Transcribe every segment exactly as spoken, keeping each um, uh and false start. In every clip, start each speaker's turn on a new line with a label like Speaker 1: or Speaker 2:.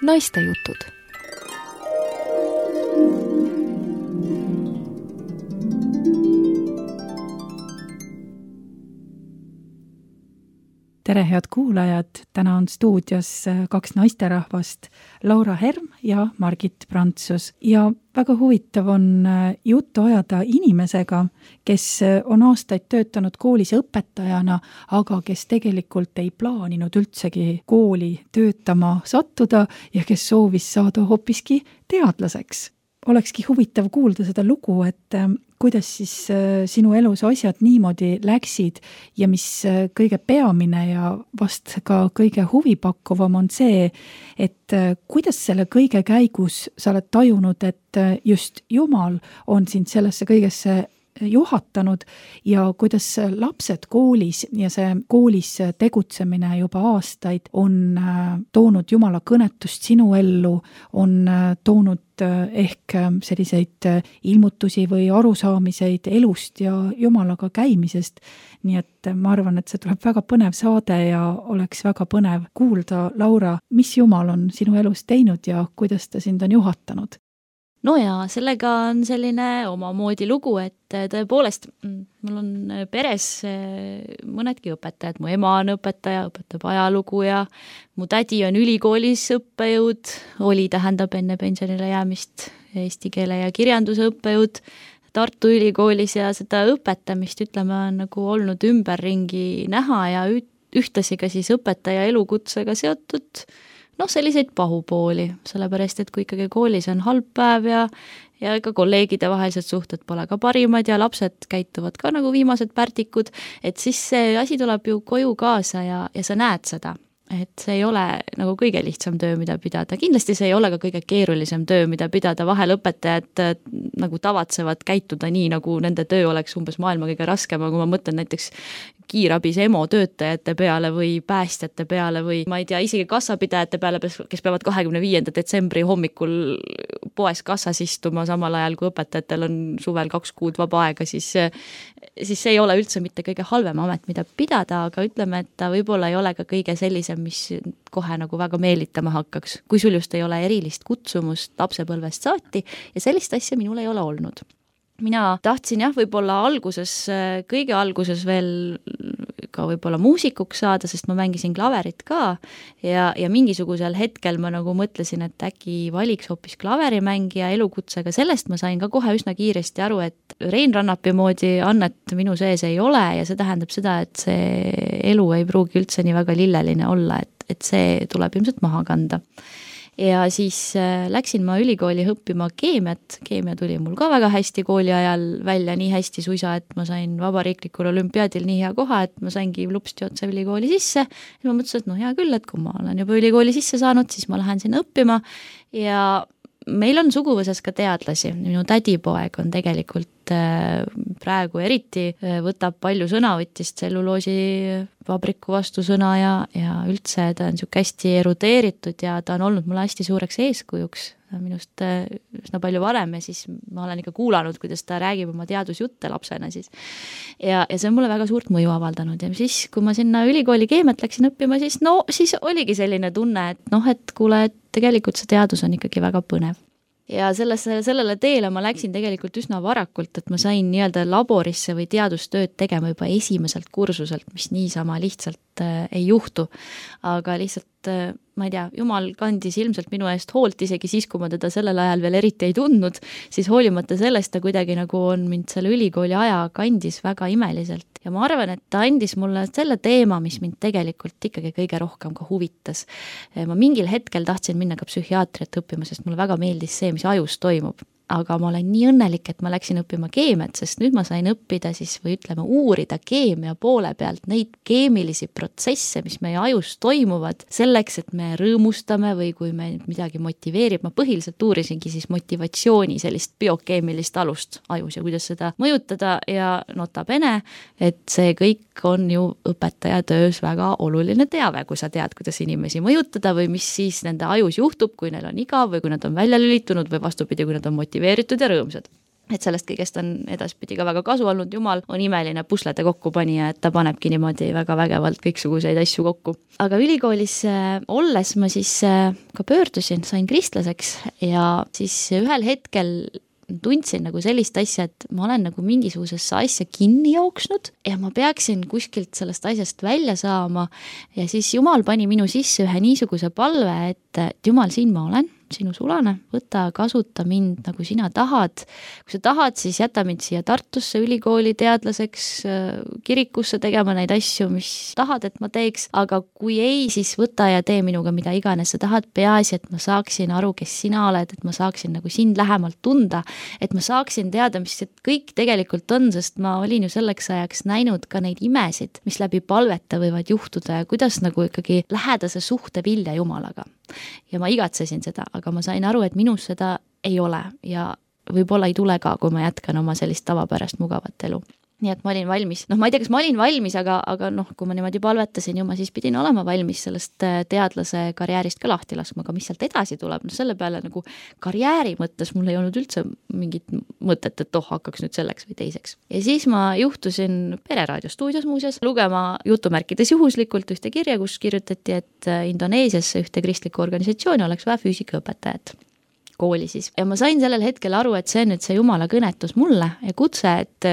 Speaker 1: Naistejutud.
Speaker 2: Tere, head kuulajad! Täna on stuudios kaks naisterahvast, Laura Herm ja Margit Prantsus. Ja väga huvitav on juttu ajada inimesega, kes on aastaid töötanud koolis õpetajana, aga kes tegelikult ei plaaninud üldsegi kooli töötama sattuda ja kes soovis saada hoopiski teadlaseks. Olekski huvitav kuulda seda lugu, et kuidas siis sinu elus asjad niimoodi läksid ja mis kõige peamine ja vast ka kõige huvipakkuvam on see, et kuidas selle kõige käigus sa oled tajunud, et just Jumal on sind sellesse kõigesse juhatanud ja kuidas lapsed koolis ja see koolis tegutsemine juba aastaid on toonud Jumala kõnetust sinu ellu, on toonud ehk selliseid ilmutusi või arusaamiseid elust ja Jumalaga käimisest. Nii et ma arvan, et see tuleb väga põnev saade ja oleks väga põnev kuulda, Laura, mis Jumal on sinu elus teinud ja kuidas ta sind on juhatanud?
Speaker 3: No ja sellega on selline omamoodi lugu, et tõepoolest mul on peres mõnedki õpetajad. Mu ema on õpetaja, õpetab ajalugu ja mu tädi on ülikoolis õppejõud, oli tähendab enne pensionile jäämist eesti keele ja kirjanduse õppejõud Tartu ülikoolis ja seda õpetamist, ütleme, on nagu olnud ümberringi näha ja ühtlasi ka siis õpetaja elukutsega seotud noh, selliseid pahupooli, sellepärast, et kui ikkagi koolis on halb päev ja, ja ega kolleegide vahelised suhted pole ka parimad ja lapsed käituvad ka nagu viimased pärtikud, et siis see asi tuleb ju koju kaasa ja, ja sa näed seda. Et see ei ole nagu kõige lihtsam töö, mida pidada. Kindlasti see ei ole ka kõige keerulisem töö, mida pidada. Vahel õpetajad nagu tavatsevad käituda nii, nagu nende töö oleks umbes maailma kõige raskem, aga kui ma mõtlen näiteks kiirabis emo töötajate peale või päästjate peale või ma ei tea, isegi kassapidajate peale, kes peavad kahekümne viienda detsembri hommikul poes kassas istuma samal ajal, kui õpetajatel on suvel kaks kuud vaba aega, siis, siis see ei ole üldse mitte kõige halvem amet, mida pidada, aga ütleme, et ta võib-olla ei ole ka kõige sellisem, mis kohe nagu väga meelitama hakkaks, kui sul just ei ole erilist kutsumust lapsepõlvest saati ja sellist asja minul ei ole olnud. Mina tahtsin jah, võib-olla alguses, kõige alguses veel ka võib-olla muusikuks saada, sest ma mängisin klaverit ka ja, ja mingisugusel hetkel ma nagu mõtlesin, et äkki valiks hoopis klaverimängija elukutsega. Sellest ma sain ka kohe üsna kiiresti aru, et Rein Rannapi moodi annet minu sees ei ole ja see tähendab seda, et see elu ei pruugi üldse nii väga lilleline olla, et, et see tuleb ilmselt maha kanda. Ja siis läksin ma ülikooli õppima keemiat. Keemia tuli mul ka väga hästi kooli ajal välja, nii hästi suisa, et ma sain vabariiklikul olümpiaadil nii hea koha, et ma saingi lupsti otse ülikooli sisse. Ja ma mõtlesin, et no hea küll, et kui ma olen juba ülikooli sisse saanud, siis ma lähen sinna õppima. Ja meil on suguvõsas ka teadlasi. Minu tädipoeg on tegelikult praegu eriti võtab palju sõna, võttis tselluloosi vabriku vastu sõna ja, ja üldse ta on siuke hästi erudeeritud ja ta on olnud mulle hästi suureks eeskujuks minust üsna palju varem ja siis ma olen ikka kuulanud, kuidas ta räägib oma teadusjutte lapsena siis. Ja, ja see on mulle väga suurt mõju avaldanud ja siis, kui ma sinna ülikooli keemiat läksin õppima, siis no siis oligi selline tunne, et noh, et kuule, et tegelikult see teadus on ikkagi väga põnev. Ja sellesse, sellele teele ma läksin tegelikult üsna varakult, et ma sain nii-öelda laborisse või teadustööd tegema juba esimeselt kursuselt, mis niisama lihtsalt äh, ei juhtu. Aga lihtsalt, äh, ma ei tea, Jumal kandis ilmselt minu eest hoolt isegi siis, kui ma teda sellel ajal veel eriti ei tundnud, siis hoolimata sellest ta kuidagi nagu on mind selle ülikooli aja kandis väga imeliselt. Ja ma arvan, et ta andis mulle selle teema, mis mind tegelikult ikkagi kõige rohkem ka huvitas. Ma mingil hetkel tahtsin minna ka psühhiaatriat õppima, sest mulle väga meeldis see, mis ajus toimub. Aga ma olen nii õnnelik, et ma läksin õppima keemiat, sest nüüd ma sain õppida siis või ütleme uurida keemia poole pealt neid keemilisi protsesse, mis meie ajus toimuvad selleks, et me rõõmustame või kui me midagi motiveerib. Ma põhiliselt uurisingi siis motivatsiooni sellist biokeemilist alust ajus ja kuidas seda mõjutada ja nota bene, et see kõik on ju õpetaja töös väga oluline teave, kui sa tead, kuidas inimesi mõjutada või mis siis nende ajus juhtub, kui neil on igav või kui nad on välja lülitunud või vastupidi, kui nad on motiveeritud ja rõõmsad. et sellest kõigest on edaspidi ka väga kasu olnud, jumal on imeline puslede kokkupanija, et ta panebki niimoodi väga vägevalt kõiksuguseid asju kokku. Aga ülikoolis olles ma siis ka pöördusin, sain kristlaseks ja siis ühel hetkel tundsin nagu sellist asja, et ma olen nagu mingisugusesse asja kinni jooksnud ja ma peaksin kuskilt sellest asjast välja saama ja siis Jumal pani minu sisse ühe niisuguse palve, et, et Jumal, siin ma olen, sinu sulane, võta, kasuta mind nagu sina tahad. Kui sa tahad, siis jäta mind siia Tartusse ülikooli teadlaseks, kirikusse tegema neid asju, mis tahad, et ma teeks, aga kui ei, siis võta ja tee minuga mida iganes sa tahad, peaasi, et ma saaksin aru, kes sina oled, et ma saaksin nagu sind lähemalt tunda, et ma saaksin teada, mis see kõik tegelikult on, sest ma olin ju selleks ajaks näinud ka neid imesid, mis läbi palveta võivad juhtuda ja kuidas nagu ikkagi lähedase suhte vilja Jumalaga. Ja ma igatsesin seda, aga ma sain aru, et minus seda ei ole ja võib-olla ei tule ka, kui ma jätkan oma sellist tavapärast mugavat elu. Nii et ma olin valmis, noh ma ei tea, kas ma olin valmis, aga, aga noh, kui ma niimoodi palvetasin ju, ma siis pidin olema valmis sellest teadlase karjäärist ka lahti laskma, aga mis sealt edasi tuleb, no selle peale nagu karjääri mõttes mul ei olnud üldse mingit mõtet, et oh, hakkaks nüüd selleks või teiseks. Ja siis ma juhtusin Pereraadio stuudios muuseas lugema jutumärkides juhuslikult ühte kirja, kus kirjutati, et Indoneesiasse ühte kristlikku organisatsiooni oleks vaja füüsikaõpetajat kooli siis. Ja ma sain sellel hetkel aru, et see on nüüd see Jumala kõnetus mulle ja kutse, et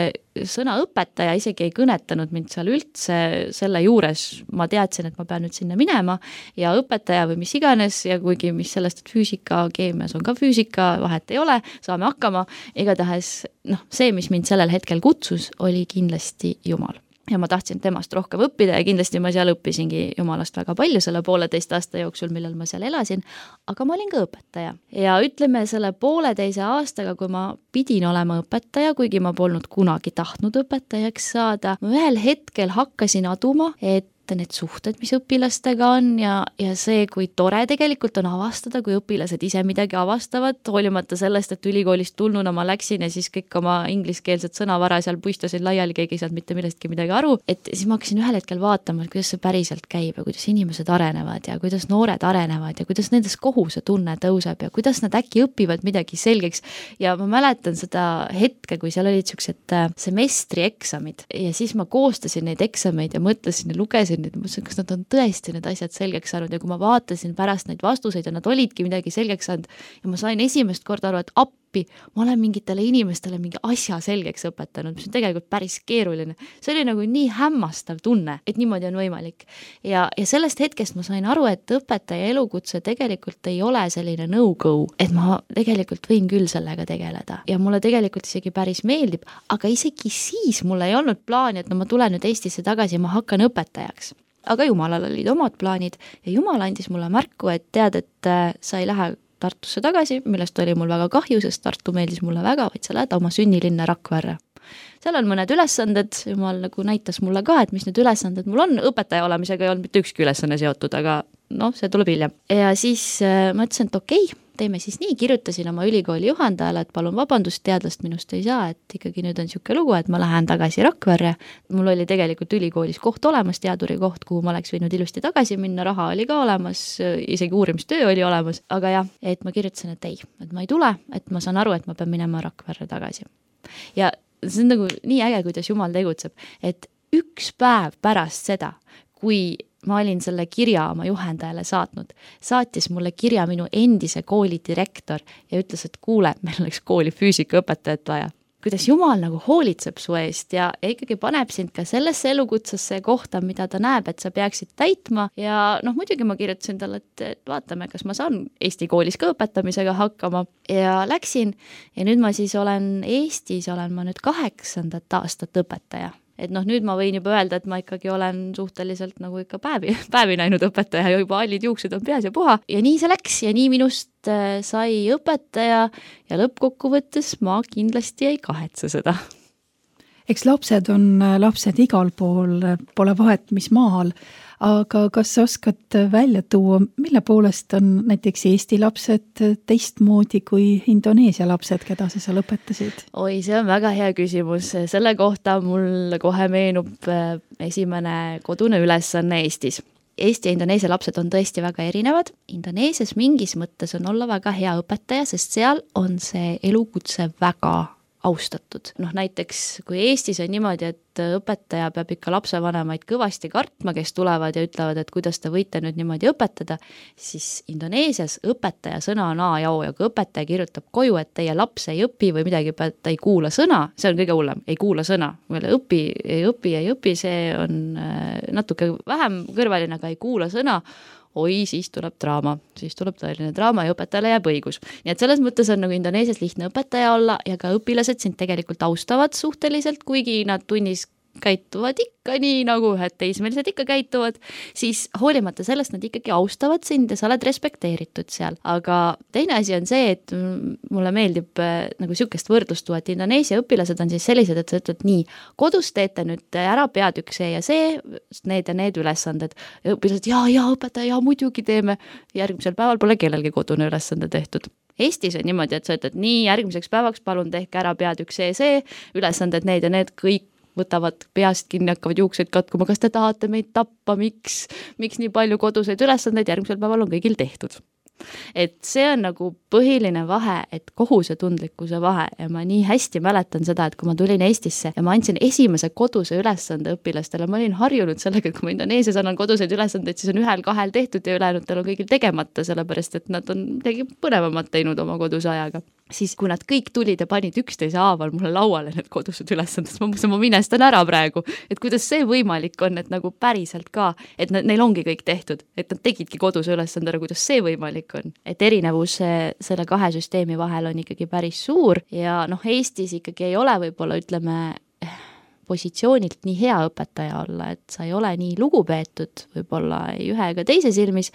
Speaker 3: sõna õpetaja isegi ei kõnetanud mind seal üldse selle juures. Ma teadsin, et ma pean nüüd sinna minema ja õpetaja või mis iganes ja kuigi mis sellest, et füüsika, keemias on ka füüsika, vahet ei ole, saame hakkama. Igatahes noh, see, mis mind sellel hetkel kutsus, oli kindlasti Jumal. Ja ma tahtsin temast rohkem õppida ja kindlasti ma seal õppisingi Jumalast väga palju selle pooleteist aasta jooksul, millal ma seal elasin, aga ma olin ka õpetaja. Ja ütleme selle pooleteise aastaga, kui ma pidin olema õpetaja, kuigi ma polnud kunagi tahtnud õpetajaks saada, ma ühel hetkel hakkasin aduma, et need suhted, mis õpilastega on ja, ja see, kui tore tegelikult on avastada, kui õpilased ise midagi avastavad, hoolimata sellest, et ülikoolist tulnuna ma läksin ja siis kõik oma ingliskeelset sõnavara seal puistasin laiali, keegi ei saanud mitte millestki midagi aru, et siis ma hakkasin ühel hetkel vaatama, kuidas see päriselt käib ja kuidas inimesed arenevad ja kuidas noored arenevad ja kuidas nendes kohusetunne tõuseb ja kuidas nad äkki õpivad midagi selgeks ja ma mäletan seda hetke, kui seal olid siuksed semestrieksamid ja siis ma koostasin neid eksameid ja mõtlesin ja lugesin nüüd, mõtlesin, kas nad on tõesti need asjad selgeks saanud ja kui ma vaatasin pärast neid vastuseid ja nad olidki midagi selgeks saanud ja ma sain esimest korda aru, et appi, ma olen mingitele inimestele mingi asja selgeks õpetanud, mis on tegelikult päris keeruline. See oli nagu nii hämmastav tunne, et niimoodi on võimalik. Ja, ja sellest hetkest ma sain aru, et õpetaja elukutse tegelikult ei ole selline no-go, et ma tegelikult võin küll sellega tegeleda ja mulle tegelikult isegi päris meeldib, aga isegi siis mul ei olnud plaani, et no ma tulen nüüd Eestisse tagasi ja ma hakkan õpetajaks. Aga Jumalal olid omad plaanid ja Jumal andis mulle märku, et tead, et sa ei lähe Tartusse tagasi, millest oli mul väga kahju, sest Tartu meeldis mulle väga, vaid sa lähed oma sünnilinna Rakverre. Seal on mõned ülesanded, Jumal nagu näitas mulle ka, et mis need ülesanded mul on, õpetaja olemisega ei olnud mitte ükski ülesanne seotud, aga noh, see tuleb hiljem. Ja siis äh, ma ütlesin, et okei, teeme siis nii, kirjutasin oma ülikooli juhendajale, et palun vabandust, teadlast minust ei saa, et ikkagi nüüd on siuke lugu, et ma lähen tagasi Rakverre. Mul oli tegelikult ülikoolis koht olemas, teaduri koht, kuhu ma oleks võinud ilusti tagasi minna, raha oli ka olemas, isegi uurimistöö oli olemas, aga jah, et ma kirjutasin, et ei, et ma ei tule, et ma saan aru, et ma pean minema Rakverre tagasi. Ja see on nagu nii äge, kuidas Jumal tegutseb, et üks päev pärast seda, kui ma olin selle kirja oma juhendajale saatnud, saatis mulle kirja minu endise kooli direktor ja ütles, et kuule, meil oleks kooli füüsikaõpetajat vaja. Kuidas Jumal nagu hoolitseb su eest ja, ja ikkagi paneb sind ka sellesse elukutsesse kohta, mida ta näeb, et sa peaksid täitma ja noh, muidugi ma kirjutasin talle, et, et vaatame, kas ma saan Eesti koolis ka õpetamisega hakkama ja läksin ja nüüd ma siis olen Eestis, olen ma nüüd kaheksandat aastat õpetaja. Et noh, nüüd ma võin juba öelda, et ma ikkagi olen suhteliselt nagu ikka päevi, päevi näinud õpetaja ja juba allid juuksed on peas ja puha. Ja nii see läks ja nii minust sai õpetaja ja lõppkokkuvõttes ma kindlasti ei kahetse seda.
Speaker 2: Eks lapsed on lapsed igal pool, pole vahet, mis maal, aga kas sa oskad välja tuua, mille poolest on näiteks Eesti lapsed teistmoodi kui Indoneesia lapsed, keda sa seal õpetasid?
Speaker 3: Oi, see on väga hea küsimus. Selle kohta mul kohe meenub esimene kodune ülesanne Eestis. Eesti ja Indoneesia lapsed on tõesti väga erinevad. Indoneesias mingis mõttes on olla väga hea õpetaja, sest seal on see elukutse väga austatud. Noh, näiteks kui Eestis on niimoodi, et õpetaja peab ikka lapsevanemaid kõvasti kartma, kes tulevad ja ütlevad, et kuidas te võite nüüd niimoodi õpetada, siis Indoneesias õpetaja sõna on A ja O ja kui õpetaja kirjutab koju, et teie laps ei õpi või midagi, ta ei kuula sõna, see on kõige hullem, ei kuula sõna. Õpi, ei õpi, ei õpi, see on natuke vähem kõrvaline, aga ei kuula sõna, oi, siis tuleb draama, siis tuleb tõeline draama ja õpetajale jääb õigus. Nii et selles mõttes on nagu Indoneesias lihtne õpetaja olla ja ka õpilased sind tegelikult austavad suhteliselt, kuigi nad tunnis käituvad ikka nii, nagu ühed teismelised ikka käituvad, siis hoolimata sellest nad ikkagi austavad sind ja sa oled respekteeritud seal. Aga teine asi on see, et mulle meeldib nagu sükest võrdlust tuua, et Indoneesia õpilased on siis sellised, et sa ütled nii, kodus teete nüüd ära peatükk see ja see, need ja need ülesanded. Ja õpilased, jaa, jaa, õpetaja, jaa, muidugi teeme. Järgmisel päeval pole kellelgi kodune ülesande tehtud. Eestis on niimoodi, et sa ütled nii, järgmiseks päevaks palun tehke ära peatükk see, see, ülesanded need ja need kõik võtavad peast kinni, hakkavad juukseid katkuma, kas te tahate meid tappa, miks, miks nii palju koduseid ülesandeid, järgmisel päeval on kõigil tehtud. Et see on nagu põhiline vahe, et kohusetundlikkuse vahe ja ma nii hästi mäletan seda, et kui ma tulin Eestisse ja ma andsin esimese koduse ülesande õpilastele, ma olin harjunud sellega, et kui ma Indoneesias annan koduseid ülesandeid, siis on ühel-kahel tehtud ja ülejäänutel on kõigil tegemata, sellepärast et nad on midagi põnevamat teinud oma koduse ajaga. Siis kui nad kõik tulid ja panid üksteise haaval mulle lauale need kodused ülesanded, ma mõtlesin, ma minestan ära praegu, et kuidas see võimalik on, et nagu päriselt ka, et neil ongi kõik tehtud, et nad tegidki koduse ülesandele, kuidas see võimalik on. Et erinevus selle kahe süsteemi vahel on ikkagi päris suur ja noh, Eestis ikkagi ei ole võib-olla, ütleme, positsioonilt nii hea õpetaja olla, et sa ei ole nii lugupeetud võib-olla ei ühe ega teise silmis,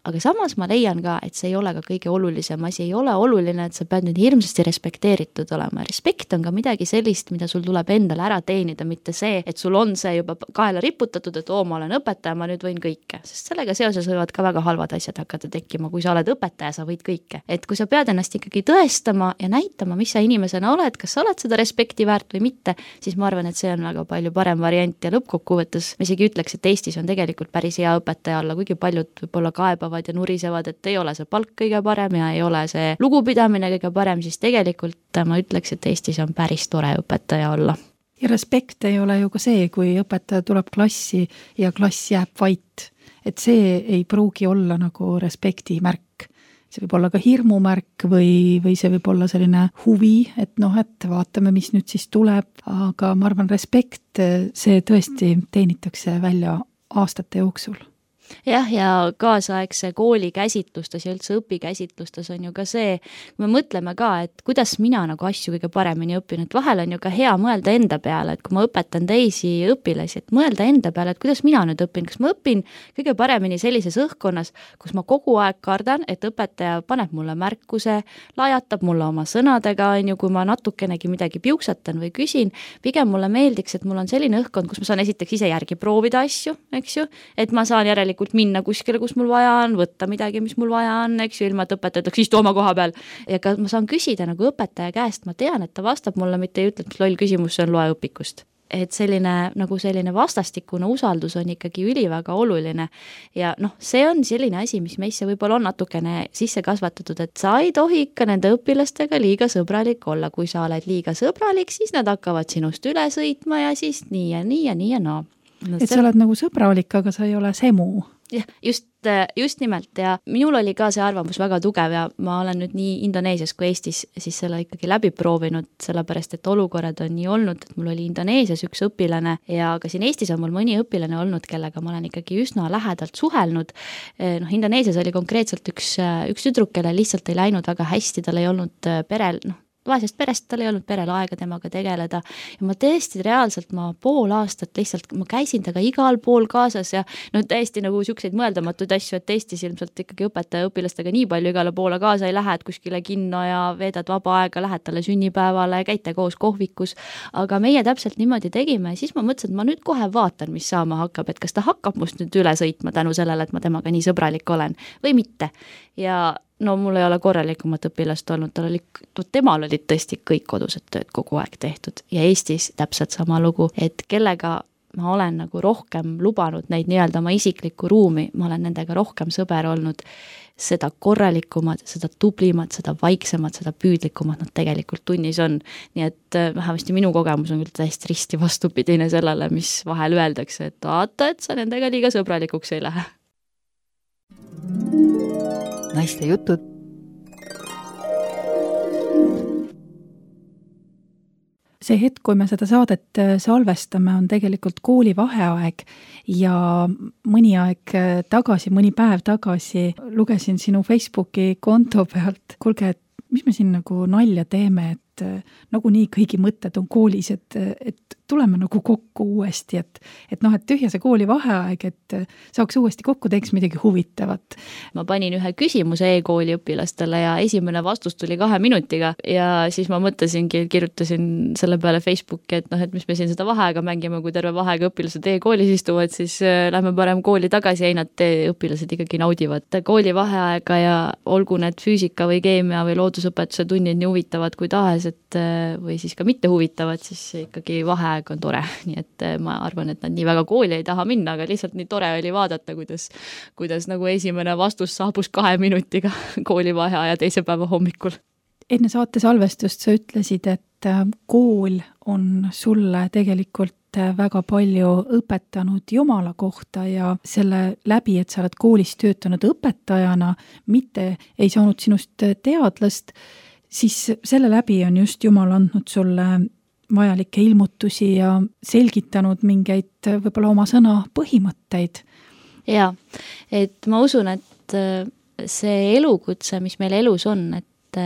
Speaker 3: aga samas ma leian ka, et see ei ole ka kõige olulisem asi, ei ole oluline, et sa pead nüüd hirmsasti respekteeritud olema. Respekt on ka midagi sellist, mida sul tuleb endale ära teenida, mitte see, et sul on see juba kaela riputatud, et oo, ma olen õpetaja, ma nüüd võin kõike, sest sellega seoses võivad ka väga halvad asjad hakata tekkima, kui sa oled õpetaja, sa võid kõike. Et kui sa pead ennast ikkagi tõestama ja näitama, mis sa inimesena oled, kas sa oled seda respekti väärt või mitte, siis ma arvan, et see on väga palju parem variant ja lõppkokkuvõttes ma isegi ütleks, et Eestis on tegelikult päris hea õpetaja olla, kuigi paljud võib-olla kaebavad ja nurisevad, et ei ole see palk kõige parem ja ei ole see lugupidamine kõige parem, siis tegelikult ma ütleks, et Eestis on päris tore õpetaja olla.
Speaker 2: Ja respekt ei ole ju ka see, kui õpetaja tuleb klassi ja klass jääb vait, et see ei pruugi olla nagu respekti märk. See võib olla ka hirmumärk või, või see võib olla selline huvi, et noh, et vaatame, mis nüüd siis tuleb, aga ma arvan, respekt, see tõesti teenitakse välja aastate jooksul.
Speaker 3: Jah, ja kaasaegse kooli käsitlustes ja üldse õpikäsitlustes on ju ka see, kui me mõtleme ka, et kuidas mina nagu asju kõige paremini õpin, et vahel on ju ka hea mõelda enda peale, et kui ma õpetan teisi õpilasi, et mõelda enda peale, et kuidas mina nüüd õpin, kas ma õpin kõige paremini sellises õhkkonnas, kus ma kogu aeg kardan, et õpetaja paneb mulle märkuse, lajatab mulle oma sõnadega, on ju, kui ma natukenegi midagi piuksatan või küsin, pigem mulle meeldiks, et mul on selline õhkkond, kus ma saan esiteks ise järgi proovida asju, eks ju, et ma saan järelikult minna kuskile, kus mul vaja on, võtta midagi, mis mul vaja on, eks ju, ilma, et õpetaja ütleks, istu oma koha peal. Ja ka ma saan küsida nagu õpetaja käest, ma tean, et ta vastab mulle, mitte ei ütle, et loll küsimus, see on loe õpikust. Et selline, nagu selline vastastikune usaldus on ikkagi üliväga oluline. Ja noh, see on selline asi, mis meisse võib-olla on natukene sisse kasvatatud, et sa ei tohi ikka nende õpilastega liiga sõbralik olla. Kui sa oled liiga sõbralik, siis nad hakkavad sinust üle sõitma ja siis nii ja nii ja nii ja naa.
Speaker 2: No, et sa oled nagu sõbralik, aga sa ei ole semu.
Speaker 3: Jah, just, just nimelt ja minul oli ka see arvamus väga tugev ja ma olen nüüd nii Indoneesias kui Eestis siis selle ikkagi läbi proovinud, sellepärast et olukorrad on nii olnud, et mul oli Indoneesias üks õpilane ja ka siin Eestis on mul mõni õpilane olnud, kellega ma olen ikkagi üsna lähedalt suhelnud. Noh, Indoneesias oli konkreetselt üks, üks tüdruk, kelle lihtsalt ei läinud väga hästi, tal ei olnud perel, noh, vaesest perest, tal ei olnud perel aega temaga tegeleda ja ma tõesti reaalselt ma pool aastat lihtsalt, ma käisin taga igal pool kaasas ja no täiesti nagu sükseid mõeldamatuid asju, et Eestis ilmselt ikkagi õpetaja õpilastega nii palju igale poole kaasa ei lähe, et kuskile kinno ja veedad vaba aega, lähed talle sünnipäevale, käite koos kohvikus, aga meie täpselt niimoodi tegime ja siis ma mõtlesin, et ma nüüd kohe vaatan, mis saama hakkab, et kas ta hakkab must nüüd üle sõitma tänu sellele, et ma temaga nii sõbralik olen või mitte ja no mul ei ole korralikumat õpilast olnud, tal oli, temal olid tõesti kõik kodused tööd kogu aeg tehtud ja Eestis täpselt sama lugu, et kellega ma olen nagu rohkem lubanud neid nii-öelda oma isiklikku ruumi, ma olen nendega rohkem sõber olnud, seda korralikumad, seda tublimad, seda vaiksemad, seda püüdlikumad nad tegelikult tunnis on. Nii et vähemasti minu kogemus on küll täiesti risti vastupidine sellele, mis vahel öeldakse, et vaata, et sa nendega liiga sõbralikuks ei lähe.
Speaker 1: Naiste jutud.
Speaker 2: See hetk, kui me seda saadet salvestame, on tegelikult kooli vaheaeg ja mõni aeg tagasi, mõni päev tagasi lugesin sinu Facebooki konto pealt. Kuulge, et mis me siin nagu nalja teeme, et nagu nii kõigi mõtted on koolis, et, et tuleme nagu kokku uuesti, et, et noh, et tühja see kooli vaheaeg, et saaks uuesti kokku, teeks midagi huvitavat.
Speaker 3: Ma panin ühe küsimuse e-kooli õpilastele ja esimene vastus tuli kahe minutiga ja siis ma mõtlesingi, et kirjutasin selle peale Facebooki, et noh, et mis me siin seda vaheaega mängime, kui terve vaheaega õpilased e-koolis istuvad, siis lähme parem kooli tagasi ja ei nad õpilased ikkagi naudivad kooli vaheaega ja olgu need füüsika või keemia või loodusõpetuse tunnid nii huvitavad kui tahes, et või siis ka mitte huvitavad, siis ikkagi vaheaeg on tore, nii et ma arvan, et nad nii väga kooli ei taha minna, aga lihtsalt nii tore oli vaadata, kuidas, kuidas nagu esimene vastus saabus kahe minutiga kooli vaheaja teise päeva hommikul.
Speaker 2: Enne saate salvestust sa ütlesid, et kool on sulle tegelikult väga palju õpetanud Jumala kohta ja selle läbi, et sa oled koolis töötanud õpetajana, mitte ei saanud sinust teadlast, siis selle läbi on just Jumal andnud sulle vajalikke ilmutusi ja selgitanud mingeid võib-olla oma sõna põhimõtteid.
Speaker 3: Jaa, et ma usun, et see elukutse, mis meil elus on, et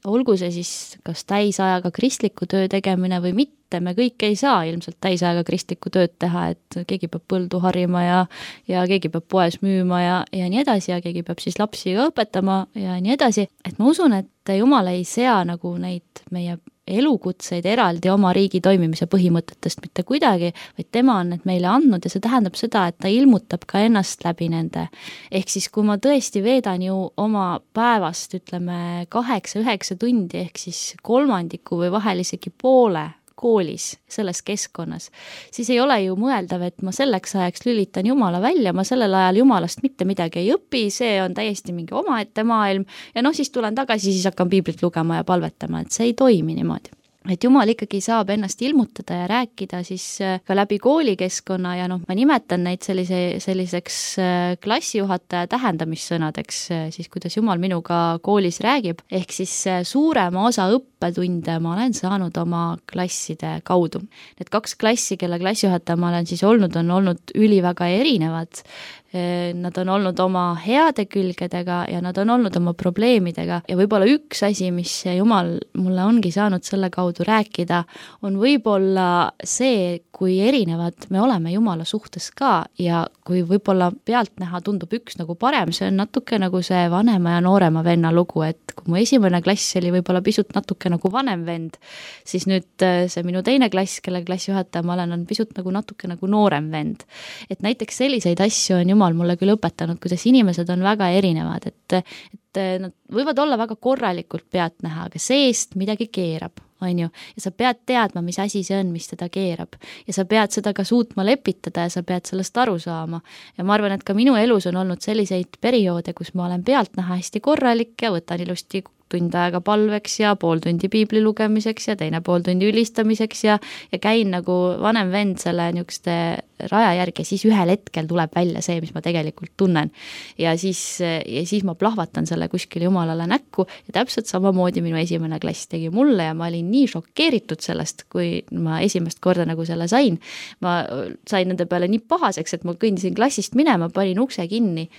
Speaker 3: olgu see siis kas täisajaga kristliku töö tegemine või mitte, me kõik ei saa ilmselt täisajaga kristliku tööd teha, et keegi peab põldu harima ja, ja keegi peab poes müüma ja, ja nii edasi ja keegi peab siis lapsi ka õpetama ja nii edasi. Et ma usun, et Jumal ei sea nagu neid meie elukutseid eraldi oma riigi toimimise põhimõtetest mitte kuidagi, vaid tema on need meile andnud ja see tähendab seda, et ta ilmutab ka ennast läbi nende. Ehk siis, kui ma tõesti veedan ju oma päevast, ütleme, kaheksa-üheksa tundi, ehk siis kolmandiku või vahel isegi poole koolis, selles keskkonnas, siis ei ole ju mõeldav, et ma selleks ajaks lülitan Jumala välja, ma sellel ajal Jumalast mitte midagi ei õpi, see on täiesti mingi omaette maailm ja noh, siis tulen tagasi, siis hakkan piiblit lugema ja palvetama, et see ei toimi niimoodi. Et Jumal ikkagi saab ennast ilmutada ja rääkida siis ka läbi koolikeskkonna ja noh, ma nimetan neid sellise, selliseks klassijuhataja tähendamissõnadeks, siis kuidas Jumal minuga koolis räägib, ehk siis suurema osa õppetunde ma olen saanud oma klasside kaudu. Need kaks klassi, kelle klassijuhataja ma olen siis olnud, on olnud üliväga erinevad. Nad on olnud oma heade külgedega ja nad on olnud oma probleemidega ja võib-olla üks asi, mis Jumal mulle ongi saanud selle kaudu rääkida, on võib-olla see, kui erinevad me oleme Jumala suhtes ka ja kui võib-olla pealtnäha tundub üks nagu parem, see on natuke nagu see vanema ja noorema venna lugu, et kui mu esimene klass oli võib-olla pisut natuke nagu vanem vend, siis nüüd see minu teine klass, kelle klassijuhataja ma olen, on pisut nagu natuke nagu noorem vend. Et näiteks selliseid asju on Jumal mulle küll õpetanud, kuidas inimesed on väga erinevad, et, et nad võivad olla väga korralikult pealtnäha, aga seest midagi keerab. On ju, ja sa pead teadma, mis asi see on, mis teda keerab ja sa pead seda ka suutma lepitada ja sa pead sellest aru saama ja ma arvan, et ka minu elus on olnud selliseid perioode, kus ma olen pealtnäha hästi korralik ja võtan ilusti tund aega palveks ja pool tundi piibli lugemiseks ja teine pool tundi ülistamiseks ja, ja käin nagu vanem vend selle niisuguste raja järgi ja siis ühel hetkel tuleb välja see, mis ma tegelikult tunnen ja siis, ja siis ma plahvatan selle kuskil Jumalale näkku ja täpselt samamoodi minu esimene klass tegi mulle ja ma olin nii šokeeritud sellest, kui ma esimest korda nagu selle sain. Ma sain nende peale nii pahaseks, et ma kõndisin klassist minema, panin ukse kinni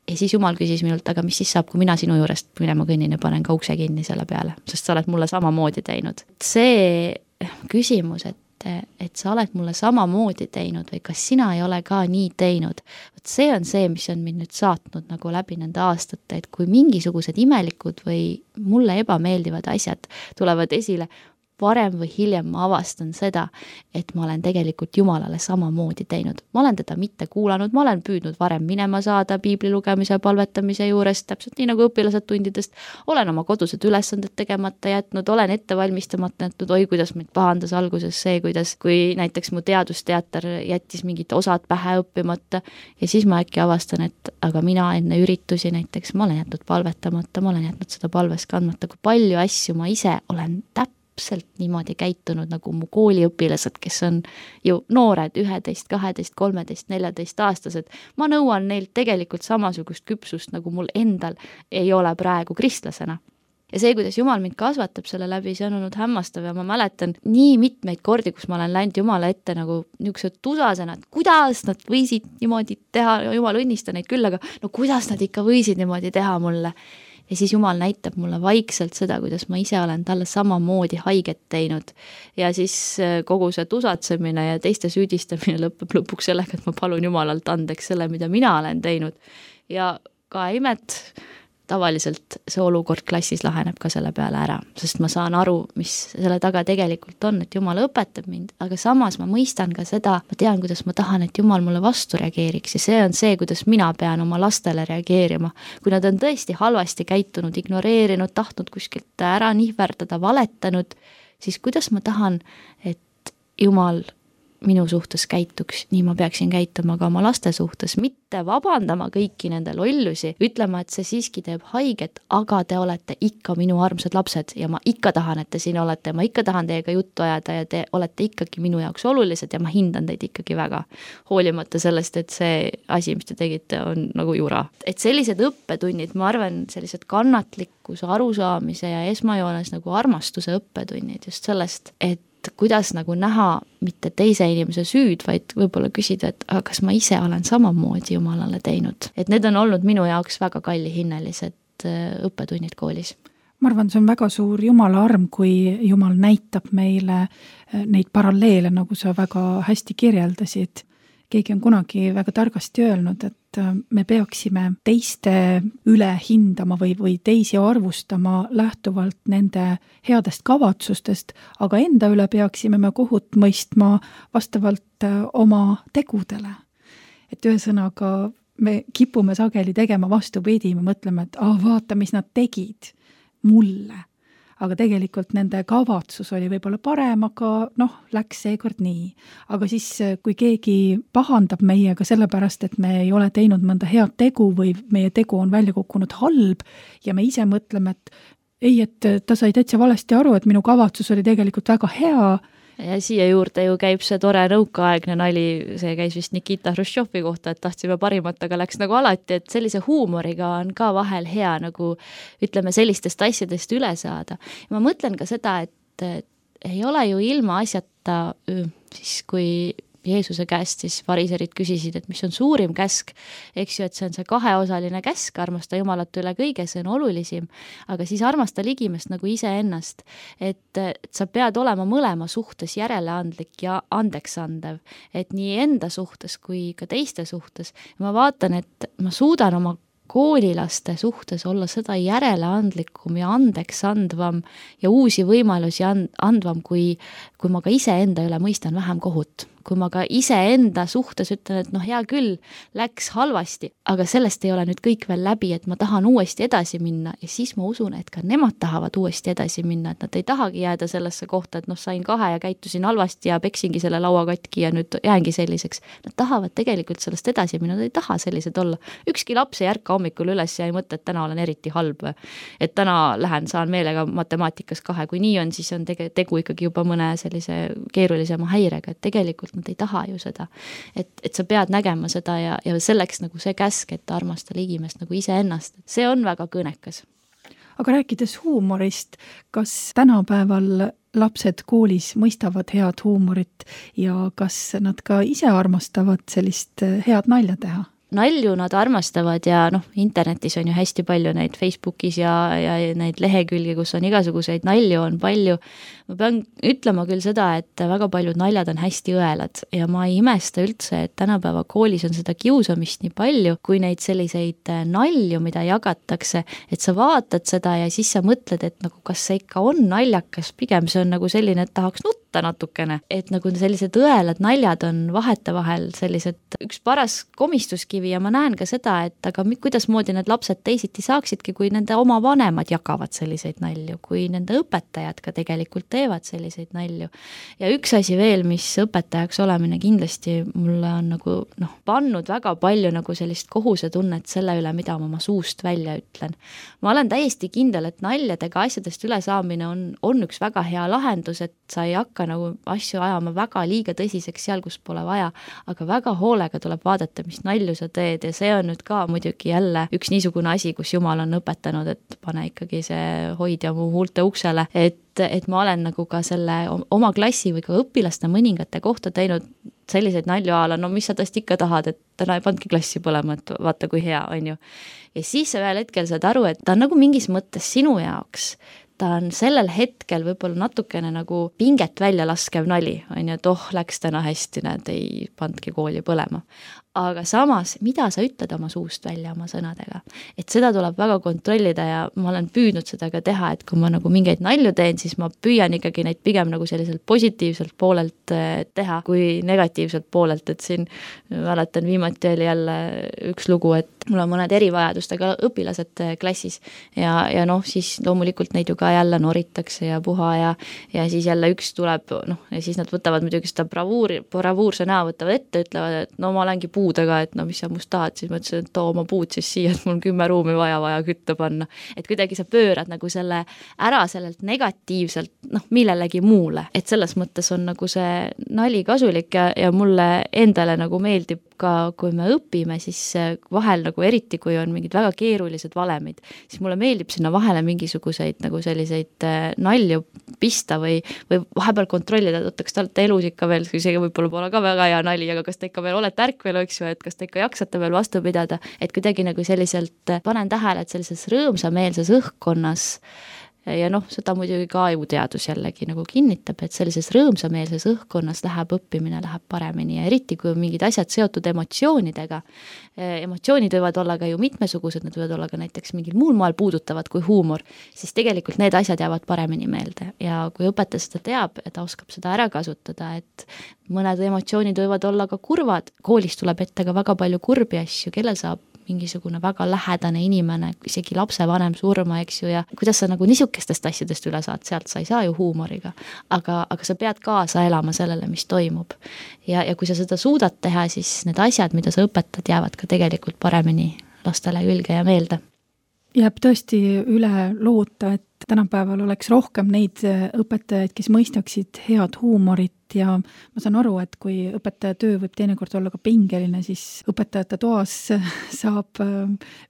Speaker 3: ja siis Jumal küsis minult, aga mis siis saab, kui mina sinu juurest minema kõnnin ja panen ka ukse kinni selle peale, sest sa oled mulle samamoodi teinud. See küsimus, et, et sa oled mulle samamoodi teinud või kas sina ei ole ka nii teinud, see on see, mis on mind nüüd saatnud nagu läbi nende aastate, et kui mingisugused imelikud või mulle ebameeldivad asjad tulevad esile, varem või hiljem ma avastan seda, et ma olen tegelikult Jumalale samamoodi teinud. Ma olen teda mitte kuulanud, ma olen püüdnud varem minema saada piibli lugemise ja palvetamise juures, täpselt nii nagu õpilased tundidest, olen oma kodused ülesanded tegemata jätnud, olen ette valmistamata jätnud, oi, kuidas mind pahandas alguses see, kuidas, kui näiteks mu teadusteater jättis mingid osad pähe õppimata ja siis ma äkki avastan, et aga mina enne üritusi näiteks, ma olen jätnud palvetamata, ma olen jätnud seda palves kandmata, kui palju asju ma ise olen täpselt niimoodi käitunud nagu mu kooliõpilased, kes on ju noored, üheteist, kaheteist, kolmeteist, neljateist aastased. Ma nõuan neilt tegelikult samasugust küpsust, nagu mul endal ei ole praegu kristlasena. Ja see, kuidas Jumal mind kasvatab selle läbi, see on olnud hämmastav ja ma mäletan nii mitmeid kordi, kus ma olen läinud Jumala ette nagu niisugused tusasena, et kuidas nad võisid niimoodi teha, Jumal õnnista neid küll, aga no kuidas nad ikka võisid niimoodi teha mulle. Ja siis Jumal näitab mulle vaikselt seda, kuidas ma ise olen talle samamoodi haiget teinud. Ja siis kogu see tusatsemine ja teiste süüdistamine lõpeb lõpuks sellega, et ma palun Jumalalt andeks selle, mida mina olen teinud. Ja ka imet, tavaliselt see olukord klassis laheneb ka selle peale ära, sest ma saan aru, mis selle taga tegelikult on, et Jumal õpetab mind, aga samas ma mõistan ka seda, ma tean, kuidas ma tahan, et Jumal mulle vastu reageeriks ja see on see, kuidas mina pean oma lastele reageerima. Kui nad on tõesti halvasti käitunud, ignoreerinud, tahtnud kuskilt ära nihverdada, valetanud, siis kuidas ma tahan, et Jumal minu suhtes käituks, nii ma peaksin käituma ka oma laste suhtes, mitte vabandama kõiki nende lollusi, ütlema, et see siiski teeb haiget, aga te olete ikka minu armsad lapsed ja ma ikka tahan, et te siin olete, ma ikka tahan teiega juttu ajada ja te olete ikkagi minu jaoks olulised ja ma hindan teid ikkagi väga, hoolimata sellest, et see asi, mis te tegite, on nagu jura. Et sellised õppetunnid, ma arvan, sellised kannatlikkuse, arusaamise ja esmajoones nagu armastuse õppetunnid just sellest, et kuidas nagu näha mitte teise inimese süüd, vaid võib-olla küsida, et aga kas ma ise olen samamoodi Jumalale teinud. Et need on olnud minu jaoks väga kallihinnelised õppetunnid koolis.
Speaker 2: Ma arvan, see on väga suur Jumala arm, kui Jumal näitab meile neid paralleele, nagu sa väga hästi kirjeldasid. Keegi on kunagi väga targasti öelnud, et me peaksime teiste üle hindama või, või teisi arvustama lähtuvalt nende headest kavatsustest, aga enda üle peaksime me kohut mõistma vastavalt oma tegudele. Et ühesõnaga me kipume sageli tegema vastupidi, me mõtleme, et ah, vaata, mis nad tegid mulle. Aga tegelikult nende kavatsus oli võib-olla parem, aga noh, läks seekord nii. Aga siis, kui keegi pahandab meiega sellepärast, et me ei ole teinud mõnda head tegu või meie tegu on välja kukkunud halb ja me ise mõtleme, et ei, et ta sai täitsa valesti aru, et minu kavatsus oli tegelikult väga hea.
Speaker 3: Ja siia juurde ju käib see tore nõukaaegne nali, see käis vist Nikita Hruštšovi kohta, et tahtsime parimat, aga läks nagu alati, et sellise huumoriga on ka vahel hea nagu ütleme sellistest asjadest üle saada. Ja ma mõtlen ka seda, et ei ole ju ilma asjata, siis kui Jeesuse käest siis fariserid küsisid, et mis on suurim käsk, eks ju, et see on see kaheosaline käsk, armasta Jumalat üle kõige, see on olulisim, aga siis armasta ligimest nagu iseennast, et, et sa pead olema mõlema suhtes järeleandlik ja andeksandev, et nii enda suhtes kui ka teiste suhtes. Ja ma vaatan, et ma suudan oma koolilaste suhtes olla seda järeleandlikum ja andeks andvam ja uusi võimalusi andvam, kui, kui ma ka ise enda üle mõistan vähem kohut. Kui ma ka ise enda suhtes ütlen, et noh, hea küll, läks halvasti, aga sellest ei ole nüüd kõik veel läbi, et ma tahan uuesti edasi minna ja siis ma usun, et ka nemad tahavad uuesti edasi minna, et nad ei tahagi jääda sellesse kohta, et noh, sain kahe ja käitusin halvasti ja peksingi selle laua katki ja nüüd jäängi selliseks. Nad tahavad tegelikult sellest edasi minna, nad ei taha sellised olla. Ükski laps ei ärka hommikul üles ja ei mõtle, et täna olen eriti halb, et täna lähen, saan meelega matemaatikas kahe, kui nii on, siis on tege, tegu ikkagi juba mõne sellise keerulisema häirega, et tegelikult nad ei taha ju seda, et, et sa pead nägema seda ja, ja selleks nagu see käsk, et armasta ligimest nagu iseennast, see on väga kõnekas.
Speaker 2: Aga rääkides huumorist, kas tänapäeval lapsed koolis mõistavad head huumorit ja kas nad ka ise armastavad sellist head nalja teha?
Speaker 3: Nalju nad armastavad ja noh, internetis on ju hästi palju neid Facebookis ja, ja neid lehekülgi, kus on igasuguseid nalju, on palju. ma pean ütlema küll seda, et väga paljud naljad on hästi õelad ja ma ei imesta üldse, et tänapäeva koolis on seda kiusamist nii palju, kui neid selliseid nalju, mida jagatakse, et sa vaatad seda ja siis sa mõtled, et nagu kas see ikka on naljakas, pigem see on nagu selline, et tahaks nutta natukene, et nagu sellised õelad naljad on vahetevahel sellised üks paras komistuskivi ja ma näen ka seda, et aga kuidas moodi need lapsed teisiti saaksidki, kui nende oma vanemad jagavad selliseid nalju, kui nende õpetajad ka tegelikult teevad selliseid nalju. Ja üks asi veel, mis õpetajaks olemine kindlasti mulle on nagu noh, pannud väga palju nagu sellist kohusetunnet selle üle, mida ma oma suust välja ütlen. Ma olen täiesti kindel, et naljadega asjadest üle saamine on, on üks väga hea lahendus, et sa ei hakka nagu asju ajama väga liiga tõsiseks seal, kus pole vaja, aga väga hoolega tuleb vaadata, mis nalju sa teed ja see on nüüd ka muidugi jälle üks niisugune asi, kus Jumal on õpetanud, et pane ikkagi see hoidja mu huulte uksele, et et ma olen nagu ka selle oma klassi või ka õpilaste mõningate kohta teinud selliseid nalju ala, no mis sa tõest ikka tahad, et täna ei pandki klassi põlema, et vaata kui hea, on ju. Ja siis sa ühel hetkel saad aru, et ta on nagu mingis mõttes sinu jaoks, ta on sellel hetkel võib-olla natukene nagu pinget välja laskev nali, on ju, et oh, läks täna hästi, näed, ei pandki kooli põlema. Aga samas, mida sa ütled oma suust välja oma sõnadega, et seda tuleb väga kontrollida ja ma olen püüdnud seda ka teha, et kui ma nagu mingeid nalju teen, siis ma püüan ikkagi neid pigem nagu selliselt positiivselt poolelt teha, kui negatiivselt poolelt, et siin mäletan viimati oli jälle üks lugu, et mul on mõned erivajadustega õpilased klassis ja, ja noh, siis loomulikult neid ju ka jälle noritakse ja puha ja, ja siis jälle üks tuleb, noh, ja siis nad võtavad muidugi seda bravuuri, bravuurse näo võtavad ette, ütlevad, et no ma olengi puudega, et no mis sa must tahad, siis ma ütlesin, et too oma puud siis siia, et mul on kümme ruumi vaja vaja kütta panna. Et kuidagi sa pöörad nagu selle ära sellelt negatiivselt, noh, millelegi muule. Et selles mõttes on nagu see nali kasulik ja, ja mulle endale nagu meeldib ka, kui me õpime, siis vahel nagu eriti, kui on mingid väga keerulised valemid, siis mulle meeldib sinna vahele mingisuguseid nagu selliseid nalju pista või, või vahepeal kontrollida, et kas te olete elus ikka veel, isegi võib-olla pole ka väga hea nali, aga kas te ikka veel olete ärkvel, eks ju, et kas te ikka jaksate veel vastu pidada, et kuidagi nagu selliselt panen tähele, et sellises rõõmsameelses õhkkonnas ja noh, seda muidugi ka ajuteadus jällegi nagu kinnitab, et sellises rõõmsameelses õhkkonnas läheb õppimine, läheb paremini ja eriti, kui on mingid asjad seotud emotsioonidega. Emotsioonid võivad olla ka ju mitmesugused, need võivad olla ka näiteks mingil muul moel puudutavad kui huumor, siis tegelikult need asjad jäävad paremini meelde ja kui õpetaja seda teab, et ta oskab seda ära kasutada, et mõned emotsioonid võivad olla ka kurvad, koolis tuleb ette ka väga palju kurbi asju, kellel saab mingisugune väga lähedane inimene, isegi lapsevanem surma, eks ju, ja kuidas sa nagu niisugustest asjadest üle saad, sealt sa ei saa ju huumoriga, aga, aga sa pead kaasa elama sellele, mis toimub. Ja, ja kui sa seda suudad teha, siis need asjad, mida sa õpetad, jäävad ka tegelikult paremini lastele külge ja meelde.
Speaker 2: Jääb tõesti üle loota, et tänapäeval oleks rohkem neid õpetajaid, kes mõistaksid head huumorit ja ma saan aru, et kui õpetaja töö võib teinekord olla ka pingeline, siis õpetajate toas saab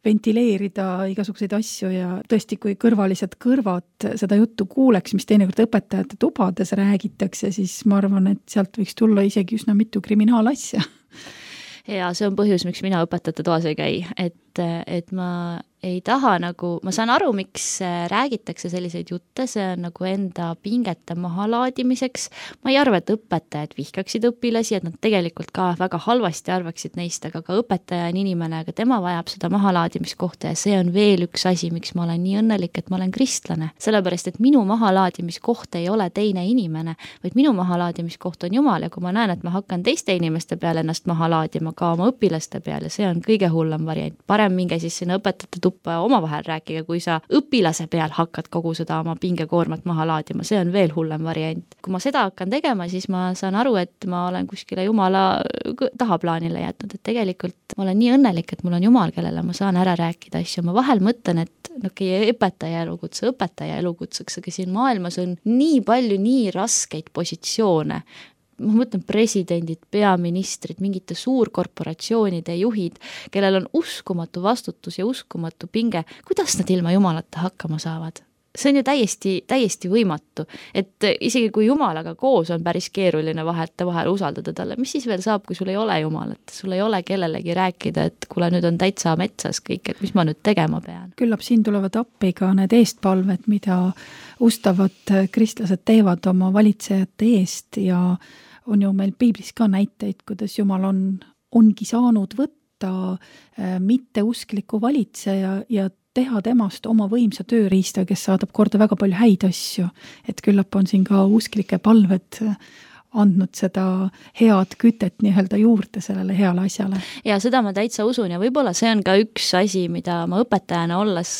Speaker 2: ventileerida igasuguseid asju ja tõesti, kui kõrvalised kõrvad seda juttu kuuleks, mis teinekord õpetajate tubades räägitakse, siis ma arvan, et sealt võiks tulla isegi üsna mitu kriminaalasja.
Speaker 3: Ja see on põhjus, miks mina õpetajate toas ei käi, et, et ma ei taha nagu, ma saan aru, miks räägitakse selliseid jutte, see on nagu enda pingete mahalaadimiseks. Ma ei arva, et õpetajad vihkaksid õpilasi, et nad tegelikult ka väga halvasti arvaksid neist, aga ka õpetaja on inimene, aga tema vajab seda mahalaadimiskohta ja see on veel üks asi, miks ma olen nii õnnelik, et ma olen kristlane. Sellepärast, et minu mahalaadimiskoht ei ole teine inimene, vaid minu mahalaadimiskoht on Jumal ja kui ma näen, et ma hakkan teiste inimeste peale ennast mahalaadima ka oma õpilaste peale, see on kõige hullem variant. Parem minge siis sinna õpetajate omavahel rääkige, kui sa õpilase peal hakkad kogu seda oma pingekoormat maha laadima, see on veel hullem variant. Kui ma seda hakkan tegema, siis ma saan aru, et ma olen kuskile Jumala tahaplaanile jätnud, et tegelikult ma olen nii õnnelik, et mul on Jumal, kellele ma saan ära rääkida asju. Ma vahel mõtlen, et okay, õpetaja elukutse, õpetaja elukutseks, aga siin maailmas on nii palju nii raskeid positsioone, ma mõtlen presidendid, peaministrid, mingite suurkorporatsioonide juhid, kellel on uskumatu vastutus ja uskumatu pinge, kuidas nad ilma Jumalata hakkama saavad? see on ju täiesti, täiesti võimatu, et isegi kui Jumalaga koos on päris keeruline vahete vahel usaldada talle, mis siis veel saab, kui sul ei ole Jumalat, sul ei ole kellelegi rääkida, et kuule, nüüd on täitsa metsas kõik, et mis ma nüüd tegema pean.
Speaker 2: Küllap siin tulevad appi ka need eestpalved, mida ustavad kristlased teevad oma valitsejate eest ja on ju meil piiblis ka näiteid, kuidas Jumal on, ongi saanud võtta mitteuskliku valitseja ja teha temast oma võimsa tööriista, kes saadab korda väga palju häid asju. Et küllap on siin ka usklike palved andnud seda head kütet nii-öelda juurde sellele heale asjale.
Speaker 3: Ja seda ma täitsa usun ja võib-olla see on ka üks asi, mida ma õpetajana olles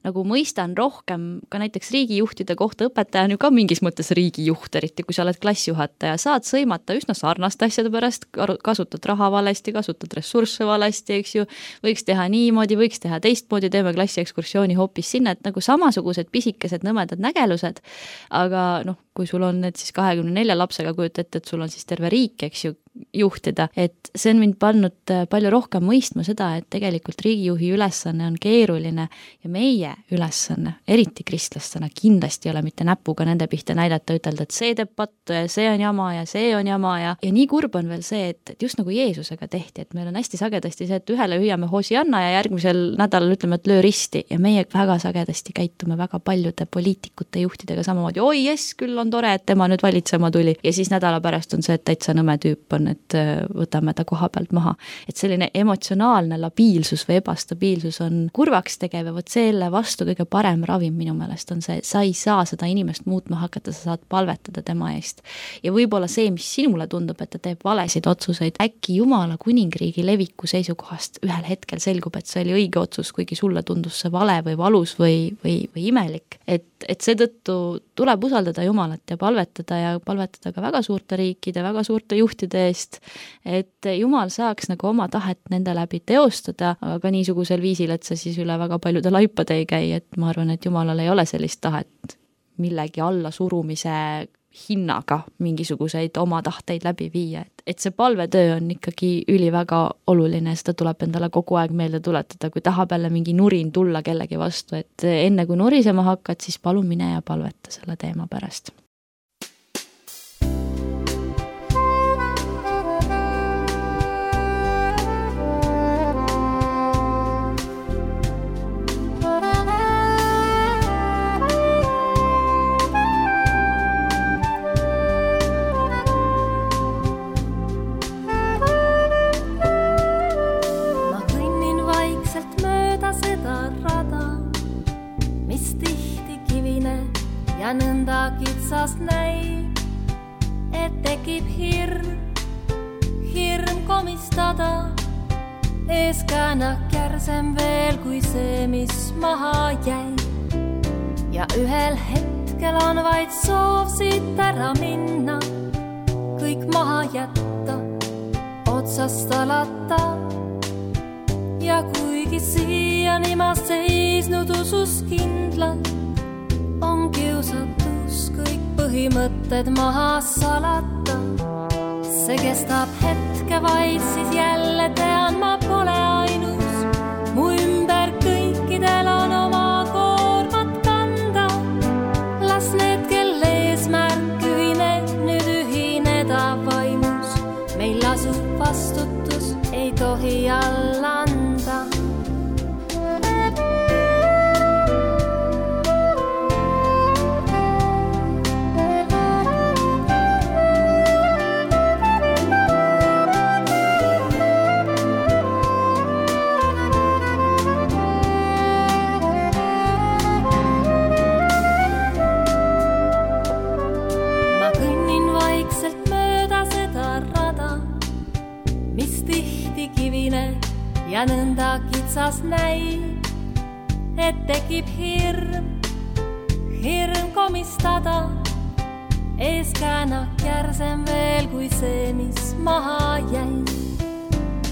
Speaker 3: nagu mõistan rohkem ka näiteks riigijuhtide kohta. Õpetaja on ju ka mingis mõttes riigijuht, eriti kui sa oled klassijuhataja, saad sõimata üsna sarnast asjade pärast, kasutad raha valesti, kasutad ressursse valesti, eks ju, võiks teha niimoodi, võiks teha teistmoodi, teeme klassi ekskursiooni hoopis sinna, et nagu samasugused pisikesed nõmedad nägelused, aga noh, kui sul on need siis kahekümne nelja lapsega kujut ette, et sul on siis terve riik, eks ju, juhtida, et see on mind pannud palju rohkem mõistma seda, et tegelikult riigijuhi ülesanne on keeruline ja meie ülesanne, eriti kristlastena, kindlasti ei ole mitte näpuga nende pihta näidata, ütelda, et see teeb pattu ja see on jama ja see on jama ja, ja nii kurb on veel see, et, et just nagu Jeesusega tehti, et meil on hästi sagedasti see, et ühele hüüame Hosianna ja järgmisel nädalal ütleme, et löö risti ja meie väga sagedasti käitume väga paljude poliitikute juhtidega samamoodi, oi jess, küll on tore, et tema nüüd valitsema tuli ja siis nädala pärast on see, et täitsa nõme tüüp on, et võtame ta koha pealt maha. Et selline emotsionaalne labiilsus või ebastabiilsus on kurvaks tegev ja võt selle vastu kõige parem ravim minu meelest on see, sa ei saa seda inimest muutma hakata, sa saad palvetada tema eest. Ja võib-olla see, mis sinule tundub, et ta teeb valesid otsuseid, äkki Jumala kuningriigi leviku seisukohast ühel hetkel selgub, et see oli õige otsus, kuigi sulle tundus see vale või valus või, või, või imelik. Et, et seetõttu tuleb usaldada Jumalat ja palvetada ja palvetada ka väga suurte riikide, väga suurte juhtide eest, et Jumal saaks nagu oma tahet nende läbi teostada, aga ka niisugusel viisil, et see siis üle väga paljude laipade ei käi, et ma arvan, et Jumalal ei ole sellist tahet millegi alla surumise hinnaga mingisuguseid oma tahteid läbi viia, et, et see palvetöö on ikkagi üli väga oluline, seda tuleb endale kogu aeg meelde tuletada, kui tahab jälle mingi nurin tulla kellegi vastu, et enne kui nurisema hakkad, siis palun mine ja palveta selle teema pärast.
Speaker 4: Ja nõnda kitsast näib, et tekib hirm, hirm komistada. Eeskäänak järsem veel kui see, mis maha jäi. Ja ühel hetkel on vaid soov siit ära minna, kõik maha jätta, otsast alata. Ja kuigi siiani ma seisnud usus kindlalt, on kiusatus kõik põhimõtted maha salata. See kestab hetke vaid, siis jälle tean, ma pole ainus. Mu ümber kõikidel on oma koormat kanda. Las need, kelle eesmärk ühine, nüüd ühineda vaimus. Meil lasub vastutus, ei tohi alla anda. Ja nõnda kitsas näib, et tekib hirm, hirm komistada. Eeskäänak järsem veel kui see, mis maha jäi.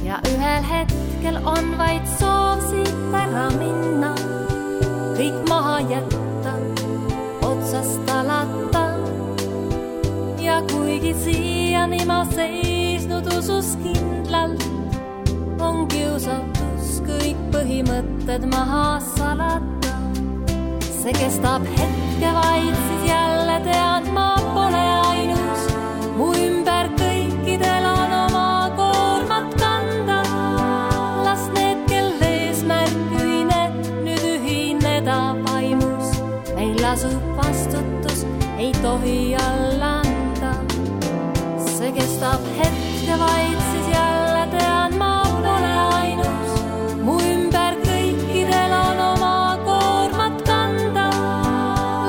Speaker 4: Ja ühel hetkel on vaid soov siit ära minna, kõik maha jätta, otsast alata. Ja kuigi siiani ma seisnud usus kindlalt, on kiusatus kõik põhimõtted maha salata. see kestab hetke vaid, siis jälle tean, ma pole ainus. Mu ümber kõikidel on oma koormat kanda. Las need, kel eesmärk ühine, nüüd ühineda vaimus. Meil lasub vastutus, ei tohi alla anda. See kestab hetke vaid, siis jälle tean, ma pole ainus. Mu ümber kõikidel on oma koormat kanda.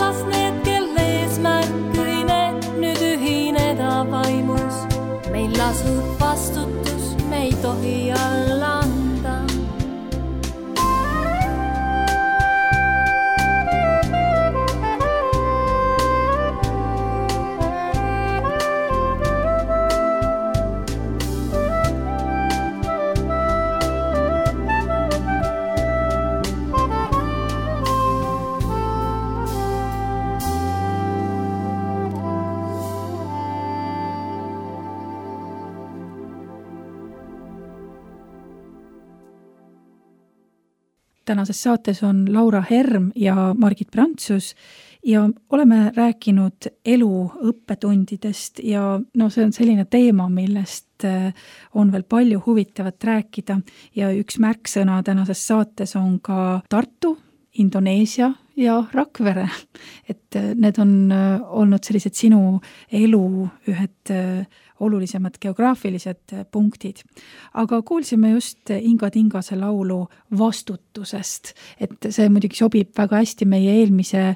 Speaker 4: Las need, kel eesmärk ühine, nüüd ühineda vaimus. Meil lasub vastutus, me ei tohi alla anda.
Speaker 2: Tänases saates on Laura Herm ja Margit Prantsus ja oleme rääkinud elu õppetundidest ja no see on selline teema, millest on veel palju huvitavat rääkida ja üks märksõna tänases saates on ka Tartu, Indoneesia ja Rakvere. Et need on olnud sellised sinu elu ühed olulisemad geograafilised punktid. Aga kuulsime just Inga Tingase laulu vastutusest, et see muidugi sobib väga hästi meie eelmise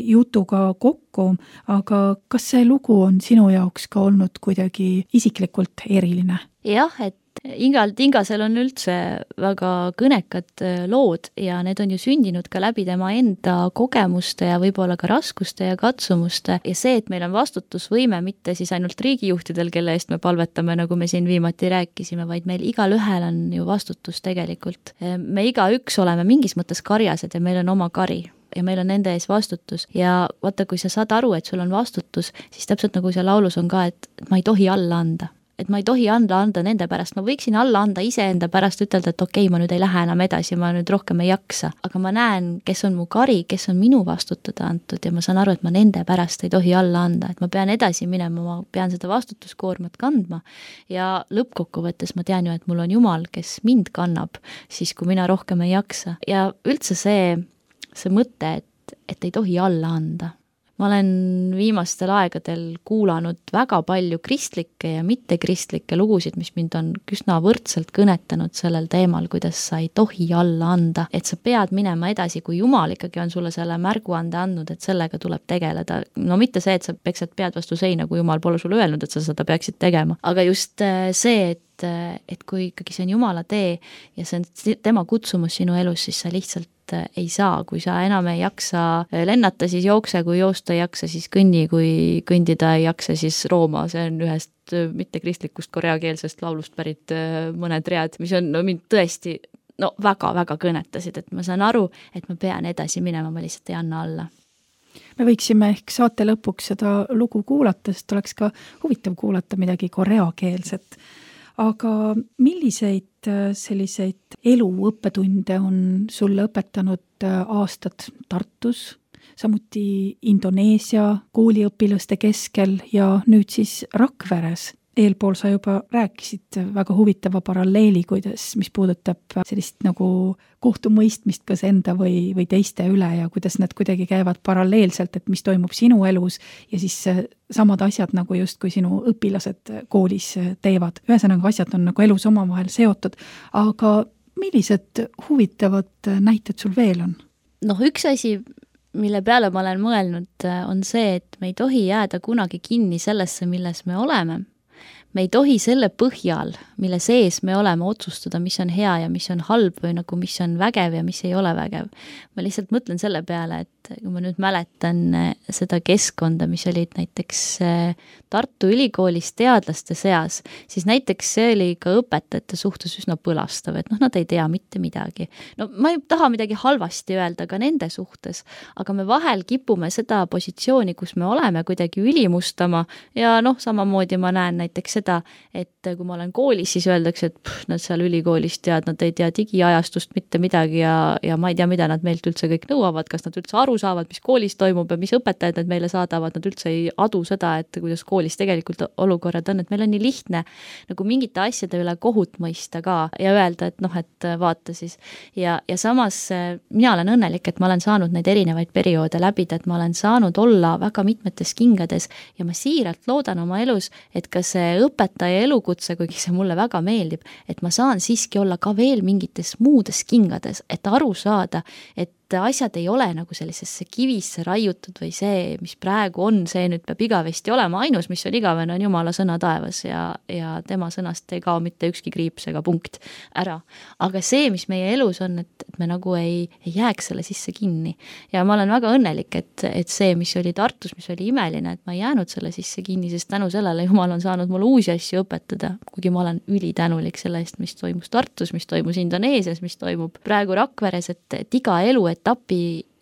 Speaker 2: jutuga kokku, aga kas see lugu on sinu jaoks ka olnud kuidagi isiklikult eriline?
Speaker 3: Jah, et Ingal Tingasel on üldse väga kõnekad lood ja need on ju sündinud ka läbi tema enda kogemuste ja võib-olla ka raskuste ja katsumuste ja see, et meil on vastutusvõime mitte siis ainult riigijuhtidel, kelle eest me palvetame, nagu me siin viimati rääkisime, vaid meil igal ühel on ju vastutus tegelikult. Me igaüks oleme mingis mõttes karjased ja meil on oma kari ja meil on nende ees vastutus ja vaata, kui sa saad aru, et sul on vastutus, siis täpselt nagu see laulus on ka, et ma ei tohi alla anda. Et ma ei tohi anda anda nende pärast, ma võiksin alla anda iseenda pärast ütelda, et okei, ma nüüd ei lähe enam edasi, ma nüüd rohkem ei jaksa. Aga ma näen, kes on mu kari, kes on minu vastutada antud ja ma saan aru, et ma nende pärast ei tohi alla anda, et ma pean edasi minema, ma pean seda vastutuskoormat kandma ja lõppkokkuvõttes ma tean ju, et mul on Jumal, kes mind kannab, siis kui mina rohkem ei jaksa. Ja üldse see, see mõte, et, et ei tohi alla anda. Ma olen viimastel aegadel kuulanud väga palju kristlikke ja mittekristlikke lugusid, mis mind on üsna võrdselt kõnetanud sellel teemal, kuidas sa ei tohi alla anda, et sa pead minema edasi, kui Jumal ikkagi on sulle selle märguande andnud, et sellega tuleb tegeleda. No mitte see, et sa peksad pead vastu seina, kui Jumal pole sulle öelnud, et sa seda peaksid tegema, aga just see, et, et kui ikkagi see on Jumala tee ja see on tema kutsumus sinu elus, siis sa lihtsalt ei saa, kui sa enam ei jaksa lennata, siis jookse, kui joosta ei jaksa, siis kõnni, kui kõndida ei jaksa, siis rooma, see on ühest mittekristlikust koreakeelsest laulust pärit mõned read, mis on no, mind tõesti no, väga-väga kõnetasid, et ma saan aru, et ma pean edasi minema, ma lihtsalt ei anna alla.
Speaker 2: Me võiksime ehk saate lõpuks seda lugu kuulata, sest oleks ka huvitav kuulata midagi koreakeelset. Aga milliseid selliseid elu õppetunde on sulle õpetanud aastad Tartus, samuti Indoneesia kooliõpilaste keskel ja nüüd siis Rakveres? Eelpool sa juba rääkisid väga huvitava paralleeli, kuidas, mis puudutab sellist nagu kohtumõistmist kas enda või, või teiste üle ja kuidas need kuidagi käivad paralleelselt, et mis toimub sinu elus ja siis samad asjad nagu just kui sinu õpilased koolis teevad. Ühesõnaga asjad on nagu elus omavahel seotud, aga millised huvitavad näited sul veel on?
Speaker 3: Noh, üks asi, mille peale ma olen mõelnud, on see, et me ei tohi jääda kunagi kinni sellesse, milles me oleme. Me ei tohi selle põhjal, mille sees me oleme otsustada, mis on hea ja mis on halb või nagu mis on vägev ja mis ei ole vägev. Ma lihtsalt mõtlen selle peale, et kui ma nüüd mäletan seda keskkonda, mis olid näiteks Tartu Ülikoolis teadlaste seas, siis näiteks see oli ka õpetajate suhtes üsna põlastav, et noh, nad ei tea mitte midagi. No ma ei taha midagi halvasti öelda ka nende suhtes, aga me vahel kipume seda positsiooni, kus me oleme kuidagi ülimustama ja noh, samamoodi ma näen näiteks seda, et kui ma olen koolis, siis öeldakse, et pff, nad seal ülikoolis tead, nad ei tea digiajastust mitte midagi ja, ja ma ei tea, mida nad meilt üldse kõik nõuavad, kas nad üldse aru aru saavad, mis koolis toimub ja mis õpetajad nad meile saadavad, nad üldse ei adu seda, et kuidas koolis tegelikult olukorrad on, et meil on nii lihtne nagu mingite asjade üle kohut mõista ka ja öelda, et noh, et vaata siis. Ja, ja samas mina olen õnnelik, et ma olen saanud neid erinevaid perioode läbida, et ma olen saanud olla väga mitmetes kingades ja ma siiralt loodan oma elus, et ka see õpetaja elukutse, kuigi see mulle väga meeldib, et ma saan siiski olla ka veel mingites muudes kingades, et aru saada, et asjad ei ole nagu sellisesse kivisse raiutud või see, mis praegu on, see nüüd peab igavesti olema, ainus, mis on igavene, on Jumala sõna taevas ja, ja tema sõnast ei kao mitte ükski kriips ega punkt ära. Aga see, mis meie elus on, et, et me nagu ei, ei jääks selle sisse kinni. Ja ma olen väga õnnelik, et, et see, mis oli Tartus, mis oli imeline, et ma ei jäänud selle sisse kinni, sest tänu sellele Jumal on saanud mulle uusi asju õpetada, kuigi ma olen ülitänulik selle eest, mis toimus Tartus, mis toimus Indoneesias, mis toimub praegu Rakveres, et, et iga elu etapi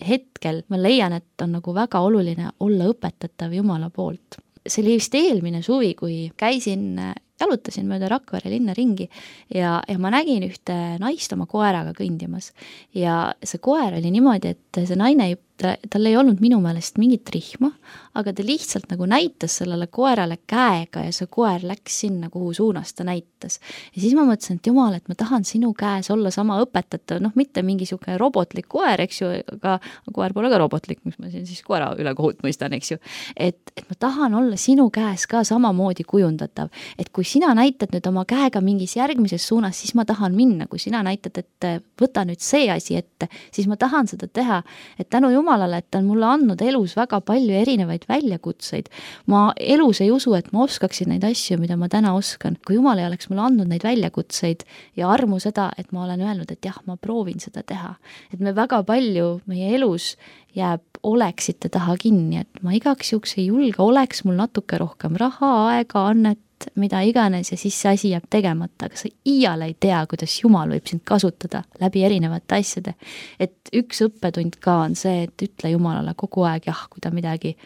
Speaker 3: hetkel ma leian, et on nagu väga oluline olla õpetatav Jumala poolt. See oli vist eelmine suvi, kui käisin, jalutasin mööda Rakvere linna ringi ja, ja ma nägin ühte naist oma koeraga kõndimas ja see koer oli niimoodi, et see naine ei tal ei olnud minu meelest mingit rihma, aga ta lihtsalt nagu näitas sellele koerale käega ja see koer läks sinna, kuhu suunas ta näitas. Ja siis ma mõtlesin, et Jumal, et ma tahan sinu käes olla sama õpetatav, noh, mitte mingi siuke robotlik koer, eks ju, aga koer pole ka robotlik, mis ma siin siis koera üle kohut mõistan, eks ju. Et, et ma tahan olla sinu käes ka samamoodi kujundatav, et kui sina näitad nüüd oma käega mingis järgmises suunas, siis ma tahan minna, kui sina näitad, et võta nüüd see asi ette, siis ma tahan seda teha, et tänu Jumalale, et ta on mulle andnud elus väga palju erinevaid väljakutseid. Ma elus ei usu, et ma oskaksin neid asju, mida ma täna oskan. Kui Jumal ei oleks mulle andnud neid väljakutseid ja armu seda, et ma olen öelnud, et jah, ma proovin seda teha. Et me väga palju meie elus jääb oleksite taha kinni, et ma igaks juhuks ei julge, oleks mul natuke rohkem raha, aega, annet, mida iganes ja siis see asi jääb tegemata, aga sa iial ei tea, kuidas Jumal võib sind kasutada läbi erinevate asjade. Et üks õppetund ka on see, et ütle Jumalale kogu aeg jah, kui ta midagi,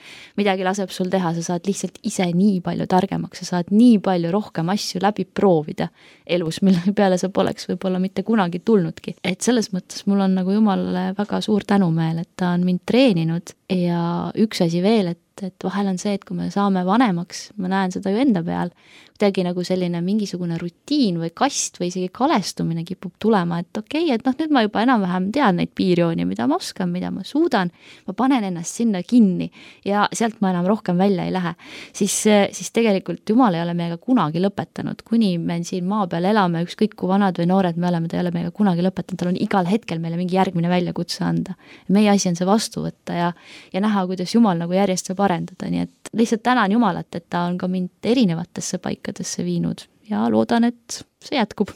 Speaker 3: midagi laseb sul teha, sa saad lihtsalt ise nii palju targemaks, sa saad nii palju rohkem asju läbi proovida elus, mille peale sa poleks võib-olla mitte kunagi tulnudki. Et selles mõttes mul on nagu Jumalale väga suur tänumeel, et ta on mind treeninud ja üks asi veel, et et vahel on see, et kui me saame vanemaks, ma näen seda ju enda peal, kuidagi nagu selline mingisugune rutiin või kast või isegi kalestumine kipub tulema, et okei, okay, et noh, nüüd ma juba enam-vähem tean neid piirjooni, mida ma oskan, mida ma suudan, ma panen ennast sinna kinni ja sealt ma enam rohkem välja ei lähe. Siis, siis tegelikult Jumal ei ole meiega kunagi lõpetanud, kuni me siin maa peal elame, ükskõik kui vanad või noored me oleme, ta ei ole meiega kunagi lõpetanud, tal on igal hetkel meile mingi järgmine väljakutse anda. Meie asi on see vastu võtta ja, ja näha, kuidas Jumal nagu järjest saab arendada, nii et lihtsalt tänan Jumalat, et ta on ka mind erinevatesse paikadesse viinud ja loodan, et see jätkub.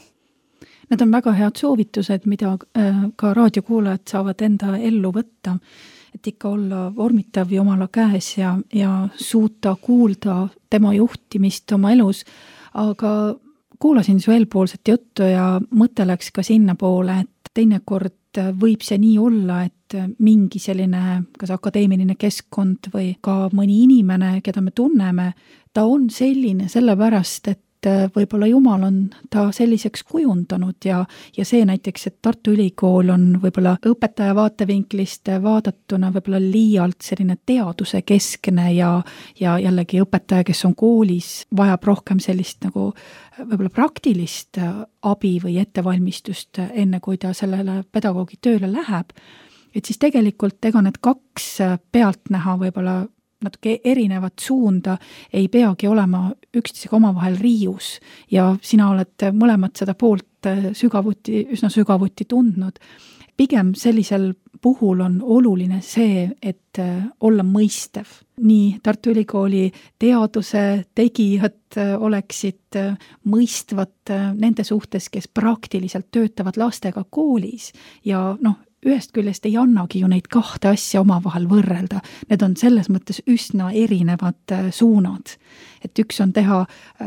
Speaker 2: Need on väga head soovitused, mida ka raadiokuulajad saavad enda ellu võtta, et ikka olla vormitav Jumala käes ja, ja suuta kuulda tema juhtimist oma elus, aga kuulasin su eelpoolset juttu ja mõte läks ka sinna poole, et teinekord võib see nii olla, et mingi selline kas akadeemiline keskkond või ka mõni inimene, keda me tunneme, ta on selline sellepärast, et võib-olla Jumal on ta selliseks kujundanud ja, ja see näiteks, et Tartu Ülikool on võib-olla õpetaja vaatevinklist vaadatuna võib-olla liialt selline teaduse keskne ja, ja jällegi õpetaja, kes on koolis, vajab rohkem sellist nagu võib-olla praktilist abi või ettevalmistust enne, kui ta sellele pedagoogi tööle läheb. Et siis tegelikult ega need kaks pealtnäha võib-olla natuke erinevat suunda ei peagi olema üksteisega omavahel riius ja sina oled mõlemad seda poolt sügavuti, üsna sügavuti tundnud. Pigem sellisel puhul on oluline see, et olla mõistev. Nii Tartu Ülikooli teaduse tegijad oleksid mõistvad nende suhtes, kes praktiliselt töötavad lastega koolis ja noh, ühest küljest ei annagi ju neid kahte asja omavahel võrrelda. Need on selles mõttes üsna erinevad suunad. Et üks on teha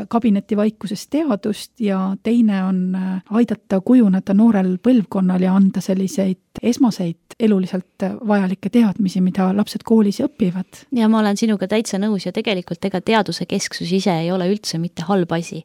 Speaker 2: kabinetivaikuses teadust ja teine on aidata kujuneda noorel põlvkonnal ja anda selliseid esmaseid eluliselt vajalikke teadmisi, mida lapsed koolis õpivad.
Speaker 3: Ja ma olen sinuga täitsa nõus ja tegelikult ega teaduse kesksus ise ei ole üldse mitte halb asi.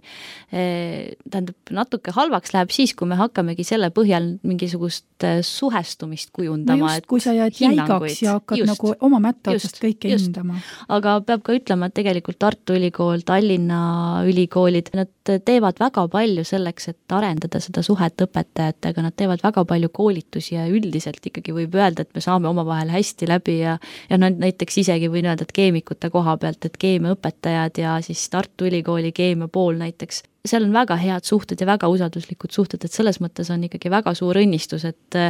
Speaker 3: Tähendab, natuke halvaks läheb siis, kui me hakkamegi selle põhjal mingisugust suhestumist kujundama.
Speaker 2: No just, kui sa jääd jäigaks ja hakkad just, nagu oma mätta otsast kõike just. hindama.
Speaker 3: Aga peab ka ütlema, et tegelikult Tartu Ülikool, Tallinna ülikoolid, nad teevad väga palju selleks, et arendada seda suhet õpetajatega, nad teevad väga palju koolitusi ja üldiselt ikkagi võib öelda, et me saame oma vahel hästi läbi ja, ja näiteks isegi võin öelda, et keemikute koha pealt, et keemiaõpetajad ja siis Tartu Ülikooli keemia pool näiteks, seal on väga head suhted ja väga usalduslikud suhted, et selles mõttes on ikkagi väga suur õnnistus, et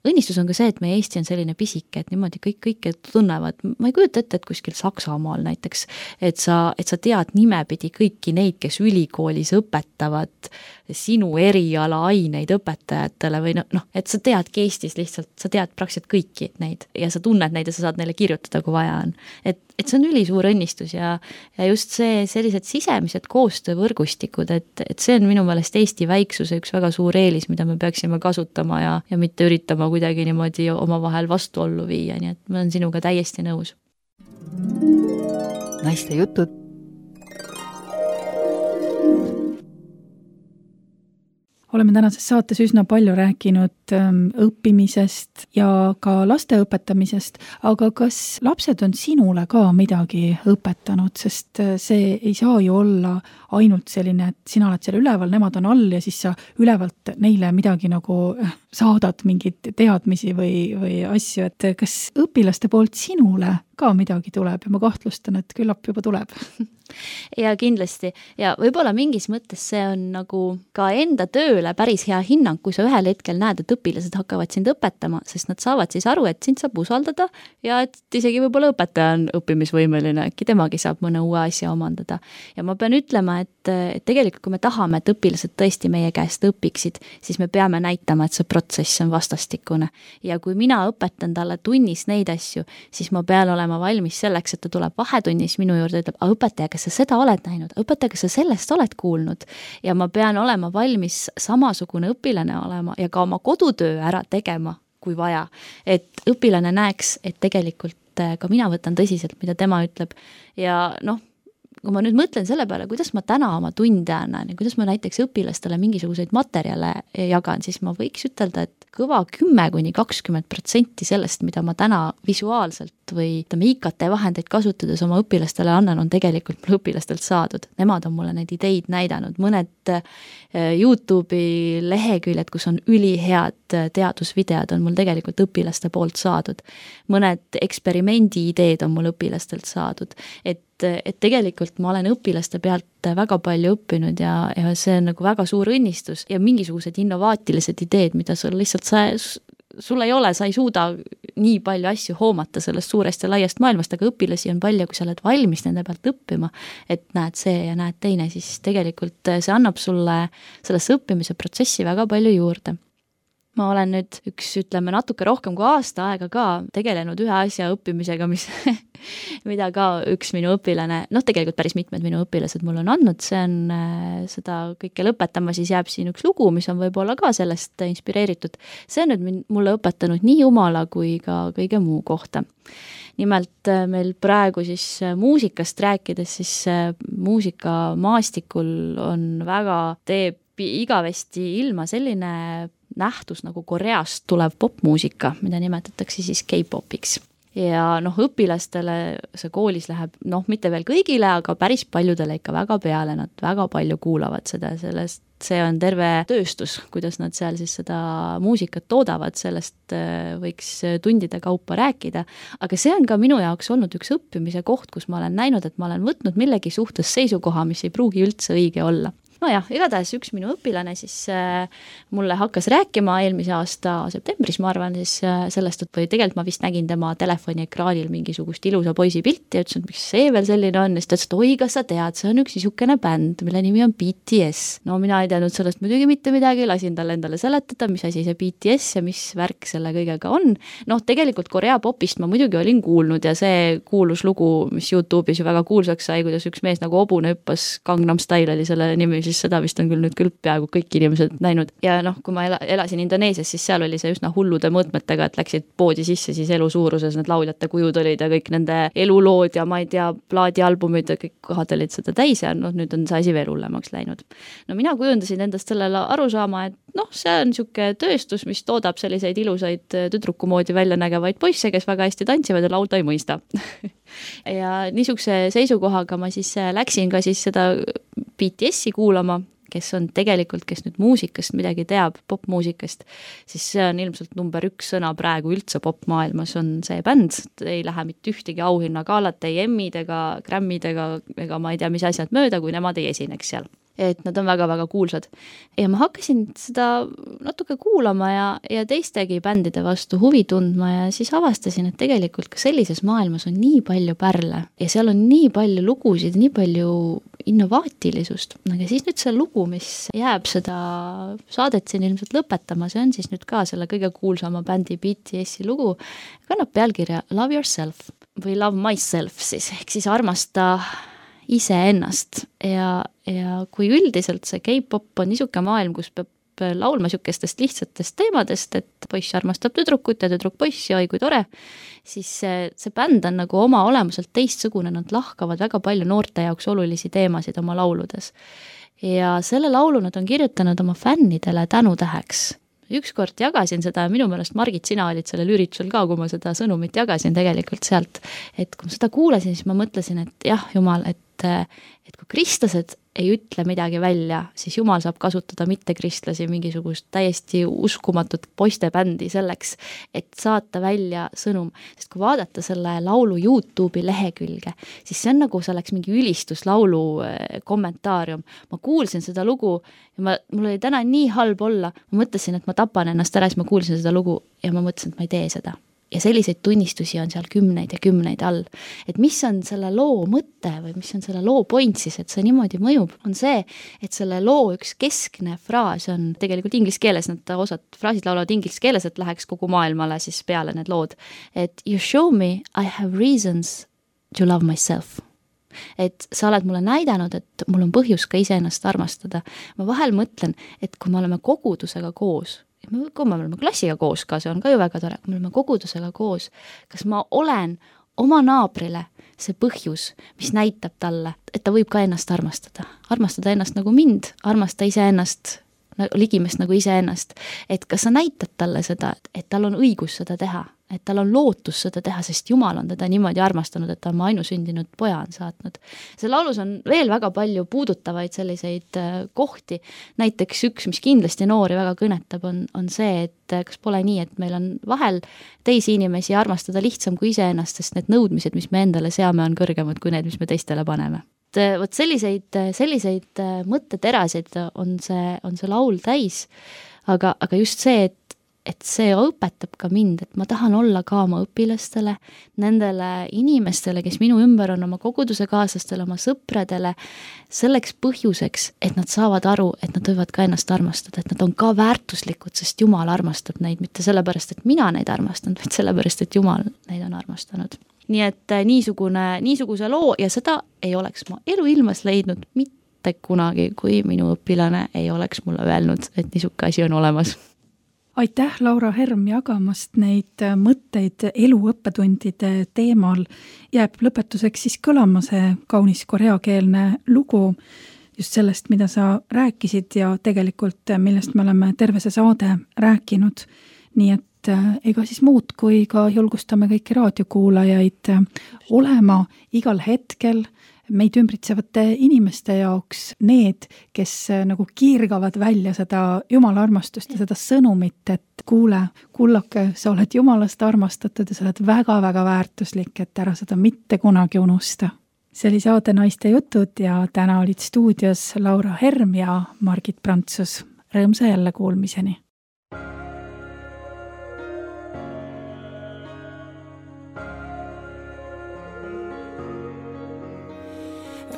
Speaker 3: õnnistus on ka see, et meie Eesti on selline pisike, et niimoodi kõik kõike tunnevad. Ma ei kujuta ette, et kuskil Saksamaal näiteks, et sa, et sa tead nimepidi kõiki neid, kes ülikoolis õpetavad sinu eriala aineid õpetajatele või noh, no, et sa teadki Eestis lihtsalt, sa tead praktiliselt kõiki neid ja sa tunned neid ja sa saad neile kirjutada, kui vaja on. Et, et see on ülisuur õnnistus ja, ja just see sellised sisemised koostöövõrgustikud, et, et see on minu meelest Eesti väiksuse üks väga suur eelis, mida me peaksime kasutama ja, ja mitte üritama kuidagi niimoodi oma vahel vastuollu viia, nii et ma olen sinuga täiesti nõus.
Speaker 1: Naiste jutud.
Speaker 2: Oleme tänases saates üsna palju rääkinud õppimisest ja ka laste õpetamisest, aga kas lapsed on sinule ka midagi õpetanud, sest see ei saa ju olla ainult selline, et sina oled seal üleval, nemad on all ja siis sa ülevalt neile midagi nagu saadad mingid teadmisi või, või asju, et kas õpilaste poolt sinule ka midagi tuleb ja ma kahtlustan, et küllap juba tuleb.
Speaker 3: Ja kindlasti ja võib-olla mingis mõttes see on nagu ka enda tööle päris hea hinnang, kui sa ühel hetkel näed, et õpilased hakkavad sind õpetama, sest nad saavad siis aru, et sind saab usaldada ja et isegi võib-olla õpetaja on õppimisvõimeline, äkki temagi saab mõne uue asja omandada. Ja ma pean ütlema, et, et tegelikult kui me tahame, et õpilased tõesti meie käest õpiksid, siis me peame näitama, et see protsess on vastastikune. Ja kui mina õpetan talle tunnis neid asju, siis ma pean olema valmis selleks, et ta tuleb vahetunnis minu juurde ja ütleb, aga õpetaja, kas sa seda oled näinud, õpetaja, kas sa sellest oled kuulnud ja ma pean olema valmis samasugune õpilane olema ja ka oma kodutöö ära tegema, kui vaja, et õpilane näeks, et tegelikult ka mina võtan tõsiselt, mida tema ütleb ja noh, kui ma nüüd mõtlen selle peale, kuidas ma täna oma tunde annan ja kuidas ma näiteks õpilastele mingisuguseid materjale jagan, siis ma võiks ütelda, et kõva kümme kuni kakskümmend protsenti sellest, mida ma täna visuaalselt või I K T vahendeid kasutades oma õpilastele annan, on tegelikult mul õpilastelt saadud. Nemad on mulle neid ideid näidanud. Mõned YouTube'i leheküljed, kus on ülihead teadusvideod, on mul tegelikult õpilaste poolt saadud. Mõned eksperimendi ideed on mul õpilastelt saadud. Et, et tegelikult ma olen õpilaste pealt väga palju õppinud ja, ja see on nagu väga suur õnnistus ja mingisugused innovaatilised ideed, mida sul lihtsalt sa, sul ei ole, sa ei suuda nii palju asju hoomata sellest suurest ja laiast maailmast, aga õpilasi on palju, kui sa oled valmis nende pealt õppima, et näed see ja näed teine, siis tegelikult see annab sulle sellesse õppimise protsessi väga palju juurde. Ma olen nüüd üks, ütleme, natuke rohkem kui aasta aega ka tegelenud ühe asja õppimisega, mis, mida ka üks minu õpilane, noh tegelikult päris mitmed minu õpilased mul on andnud, see on seda kõike lõpetama, siis jääb siin üks lugu, mis on võib-olla ka sellest inspireeritud. See on nüüd mulle õpetanud nii jumala kui ka kõige muu kohta. Nimelt meil praegu siis muusikast rääkides, siis muusikamaastikul on väga, teeb igavesti ilma selline nähtus nagu Koreast tulev popmuusika, mida nimetatakse siis K-popiks. Ja noh, õpilastele see koolis läheb, noh, mitte veel kõigile, aga päris paljudele ikka väga peale, nad väga palju kuulavad seda, sellest see on terve tööstus, kuidas nad seal siis seda muusikat toodavad, sellest võiks tundide kaupa rääkida, aga see on ka minu jaoks olnud üks õppimise koht, kus ma olen näinud, et ma olen võtnud millegi suhtes seisukoha, mis ei pruugi üldse õige olla. No jah, igatahes üks minu õpilane siis äh, mulle hakkas rääkima eelmise aasta septembris, ma arvan siis äh, sellest, et või tegelikult ma vist nägin tema telefoni ekraanil mingisugust ilusa poisi pilti ja ütlesin, et miks see veel selline on, ja siis ta ütles, et oi, kas sa tead, see on üks niisugune bänd, mille nimi on B T S. No mina ei teadnud sellest muidugi mitte midagi, lasin talle endale seletada, mis asi see B T S ja mis värk selle kõigega on. Noh, tegelikult Korea popist ma muidugi olin kuulnud ja see kuulus lugu, mis YouTube'is ju väga kuulsaks sai, kuidas üks mees nagu hobune hüppas, Gangnam Style oli selle nimi siis seda vist on küll nüüd küll peaaegu kõik inimesed näinud. Ja noh, kui ma ela, elasin Indoneesias, siis seal oli see üsna hullude mõõtmetega, et läksid poodi sisse, siis elu suuruses need lauljate kujud olid ja kõik nende elulood ja ma ei tea, plaadialbumid ja kõik kohad olid seda täis ja noh, nüüd on see asi veel hullemaks läinud. No mina kujundasin endast sellele arusaama, et noh, see on niisugune tööstus, mis toodab selliseid ilusaid tüdruku moodi välja nägevaid poisse, kes väga hästi tantsivad ja laulda ei mõista. ja niisuguse seisukohaga ma siis läksin ka siis seda B T S-i kuulama, kes on tegelikult, kes nüüd muusikast midagi teab, popmuusikast, siis see on ilmselt number üks sõna praegu üldse popmaailmas on see bänd, ei lähe mitte ühtegi auhinnakaalat, ei Emmid ega Grammid ega, ega ma ei tea, mis asjad mööda, kui nemad ei esineks seal. Et nad on väga-väga kuulsad. Ja ma hakkasin seda natuke kuulama ja, ja teistegi bändide vastu huvi tundma ja siis avastasin, et tegelikult ka sellises maailmas on nii palju pärle ja seal on nii palju lugusid, nii palju innovaatilisust. Aga siis nüüd see lugu, mis jääb seda saadet siin ilmselt lõpetama, see on siis nüüd ka selle kõige kuulsama bändi B T S-i lugu, kannab pealkirja Love Yourself või Love Myself siis, ehk siis armasta ise ennast ja, ja kui üldiselt see K-pop on niisugune maailm, kus peab laulma niisugustest lihtsatest teemadest, et poiss armastab tüdrukut ja tüdruk poissi, oi kui tore, siis see, see bänd on nagu oma olemuselt teistsugune, nad lahkavad väga palju noorte jaoks olulisi teemasid oma lauludes. Ja selle laulu nad on kirjutanud oma fännidele tänutäheks. Ükskord jagasin seda, minu meelest Margit, sina olid sellel üritusel ka, kui ma seda sõnumit jagasin tegelikult sealt, et kui ma seda kuulasin, siis ma mõtlesin, et jah, Jumal, et, et kui kristlased ei ütle midagi välja, siis Jumal saab kasutada mitte kristlasi mingisugust täiesti uskumatut poistebändi selleks, et saata välja sõnum. Sest kui vaadata selle laulu YouTube'i lehekülge, siis see on nagu see oleks mingi ülistuslaulu kommentaarium. Ma kuulsin seda lugu ja ma, mul oli täna nii halb olla. Ma mõtlesin, et ma tapan ennast ära, siis ma kuulsin seda lugu ja ma mõtlesin, et ma ei tee seda. Ja selliseid tunnistusi on seal kümneid ja kümneid all. Et mis on selle loo mõte või mis on selle loo point siis, et see niimoodi mõjub, on see, et selle loo üks keskne fraas on tegelikult inglise keeles, nad osad fraasid laulavad inglise keeles, et läheks kogu maailmale siis peale need lood. Et you show me I have reasons to love myself. Et sa oled mulle näidanud, et mul on põhjus ka iseennast armastada. Ma vahel mõtlen, et kui me oleme kogudusega koos, kui me oleme klassiga koos ka, see on ka ju väga tore, kui me oleme kogudusega koos, kas ma olen oma naabrile see põhjus, mis näitab talle, et ta võib ka ennast armastada. Armastada ennast nagu mind, armasta ise ennast, ligimest nagu ise ennast. Et kas sa näitad talle seda, et tal on õigus seda teha, et tal on lootus seda teha, sest Jumal on teda niimoodi armastanud, et ta on ainusündinud poja on saatnud. See laulus on veel väga palju puudutavaid selliseid kohti. Näiteks üks, mis kindlasti noori väga kõnetab, on, on see, et kas pole nii, et meil on vahel teisi inimesi armastada lihtsam kui ise ennast, sest need nõudmised, mis me endale seame, on kõrgemad kui need, mis me teistele paneme. Vot selliseid, selliseid mõtteterasid on see, on see laul täis, aga, aga just see, et et see õpetab ka mind, et ma tahan olla ka oma õpilastele, nendele inimestele, kes minu ümber on, oma koguduse kaaslastele, oma sõpradele, selleks põhjuseks, et nad saavad aru, et nad võivad ka ennast armastada, et nad on ka väärtuslikud, sest Jumal armastab neid, mitte sellepärast, et mina neid armastan, vaid sellepärast, et Jumal neid on armastanud. Nii et niisugune, niisuguse loo ja seda ei oleks ma eluilmas leidnud mitte kunagi, kui minu õpilane ei oleks mulle öelnud, et niisuke asi on olemas.
Speaker 2: Aitäh, Laura Herm, jagamast neid mõtteid eluõppetundide teemal. Jääb lõpetuseks siis kõlama see kaunis koreakeelne lugu just sellest, mida sa rääkisid ja tegelikult millest me oleme terve see saade rääkinud. Nii et ega siis muud, kui ka julgustame kõiki raadiokuulajaid olema igal hetkel meid ümbritsevate inimeste jaoks need, kes nagu kiirgavad välja seda Jumala armastust ja seda sõnumit, et kuule, kullake, sa oled Jumalast armastatud ja sa oled väga-väga väärtuslik, et ära seda mitte kunagi unusta. See oli saade Naiste jutud ja täna olid stuudios Laura Herm ja Margit Prantsus. Rõõmsa jälle kuulmiseni.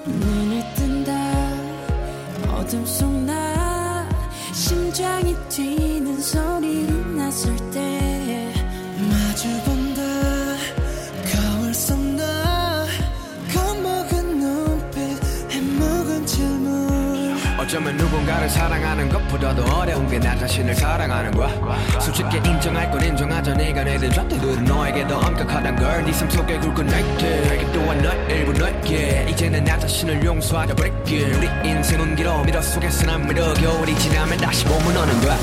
Speaker 5: 눈을 뜬다 어둠 속 나 심장이 뛰는 소리를 났을 때 마주본다 거울 속 나 겁먹은 눈빛 해먹은 질문
Speaker 6: 어쩌면 누군가를 사랑하는 것보다도 어려운 게 나 자신을 사랑하는 거야. 솔직히 인정할 건 인정하자. 네가 내든 잣대들은 너에게 더 엄격하단 걸. 네 삶 속에 굵은 날들 내게 또한 너의 일부 너에게 이제는 나 자신을 용서하자. break 우리 인생은 길어. 미러 속에서 난 미러. 겨울이 지나면 다시 봄은 오는 거야.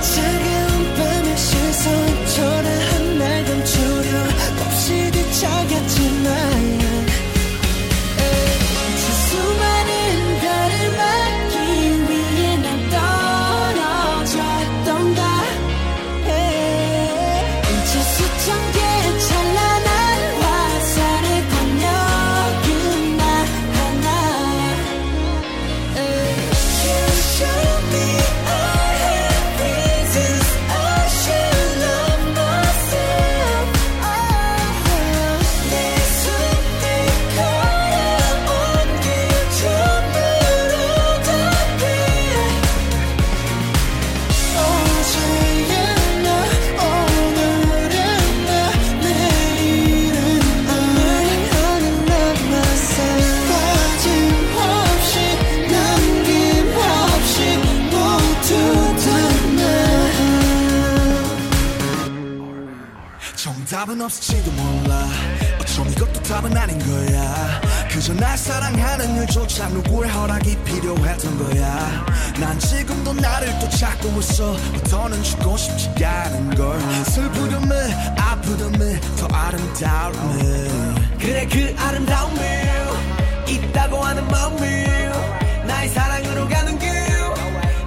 Speaker 5: 차가운 밤의 시선 초라한 날 감추려 없이 뒤척였지만 수많은 별을 막기 위해 난 떨어졌던가. 이제 수천 개의 찬란한 화살의 권력은 나 하나. You show me I have reasons I should love myself. 내 손에 거야 온 길 전부로 답해. 어제의 나 오늘의 나 내일은 I'm learning how to love myself. 빠짐없이 남김없이 모두 다 나.
Speaker 7: 정답은 없을지도 몰라. 어쩜 이것도 답은 아닌 거야. 그저 날 사랑하는 일조차 누구의 허락이 필요했던 거야. 난 지금도 나를 또 찾고 있어. 더는 죽고 싶지 않은 걸. 슬프듬을 아프듬을 더 아름다움을.
Speaker 6: 그래 그 아름다움을 있다고 하는 마음을 나의 사랑으로 가는 길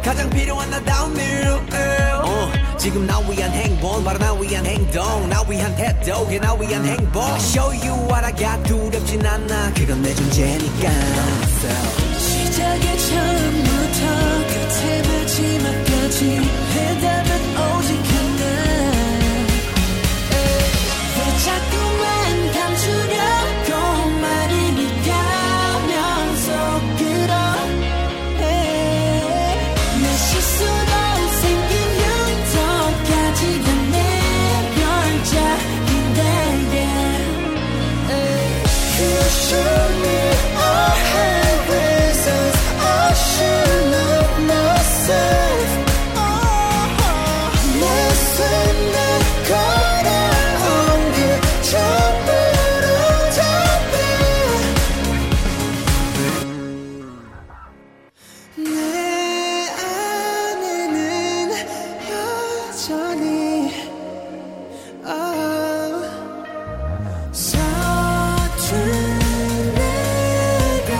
Speaker 6: 가장 필요한 나다운 일. 어, 지금 나 위한 행복 바로 나 위한 행동 나 위한 태도 그게 나 위한 행복. I show you what I got 두렵진 않아 그건 내 존재니까.
Speaker 5: 시작의 처음부터 끝의 마지막까지 해답은 오직 하나. 왜 자꾸만 감추려고 말을 비가면 속으로 해. 내 실수로 생긴 흉터까지가 내 별작인데. You show me I have reasons I should love myself. 내 손에 걸어온 길 전부로 답해. 내 안에는 여전히 oh, 서툰 내가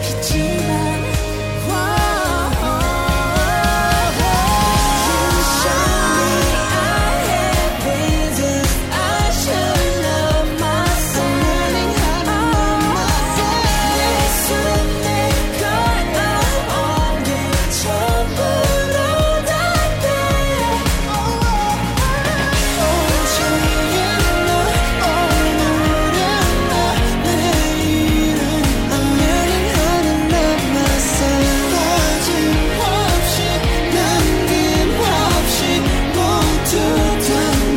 Speaker 5: 있지만 You show me I have reasons I should love myself. Learning how to love myself. 내 손에 걸어온 길 전부로 답해. 어제의 나 오늘의 나 내일은 I'm learning how to love myself. 빠짐없이 남김없이 모두 다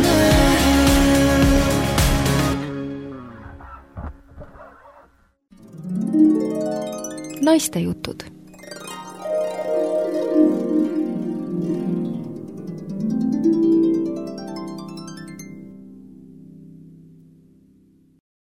Speaker 5: 나.
Speaker 1: naiste jutud.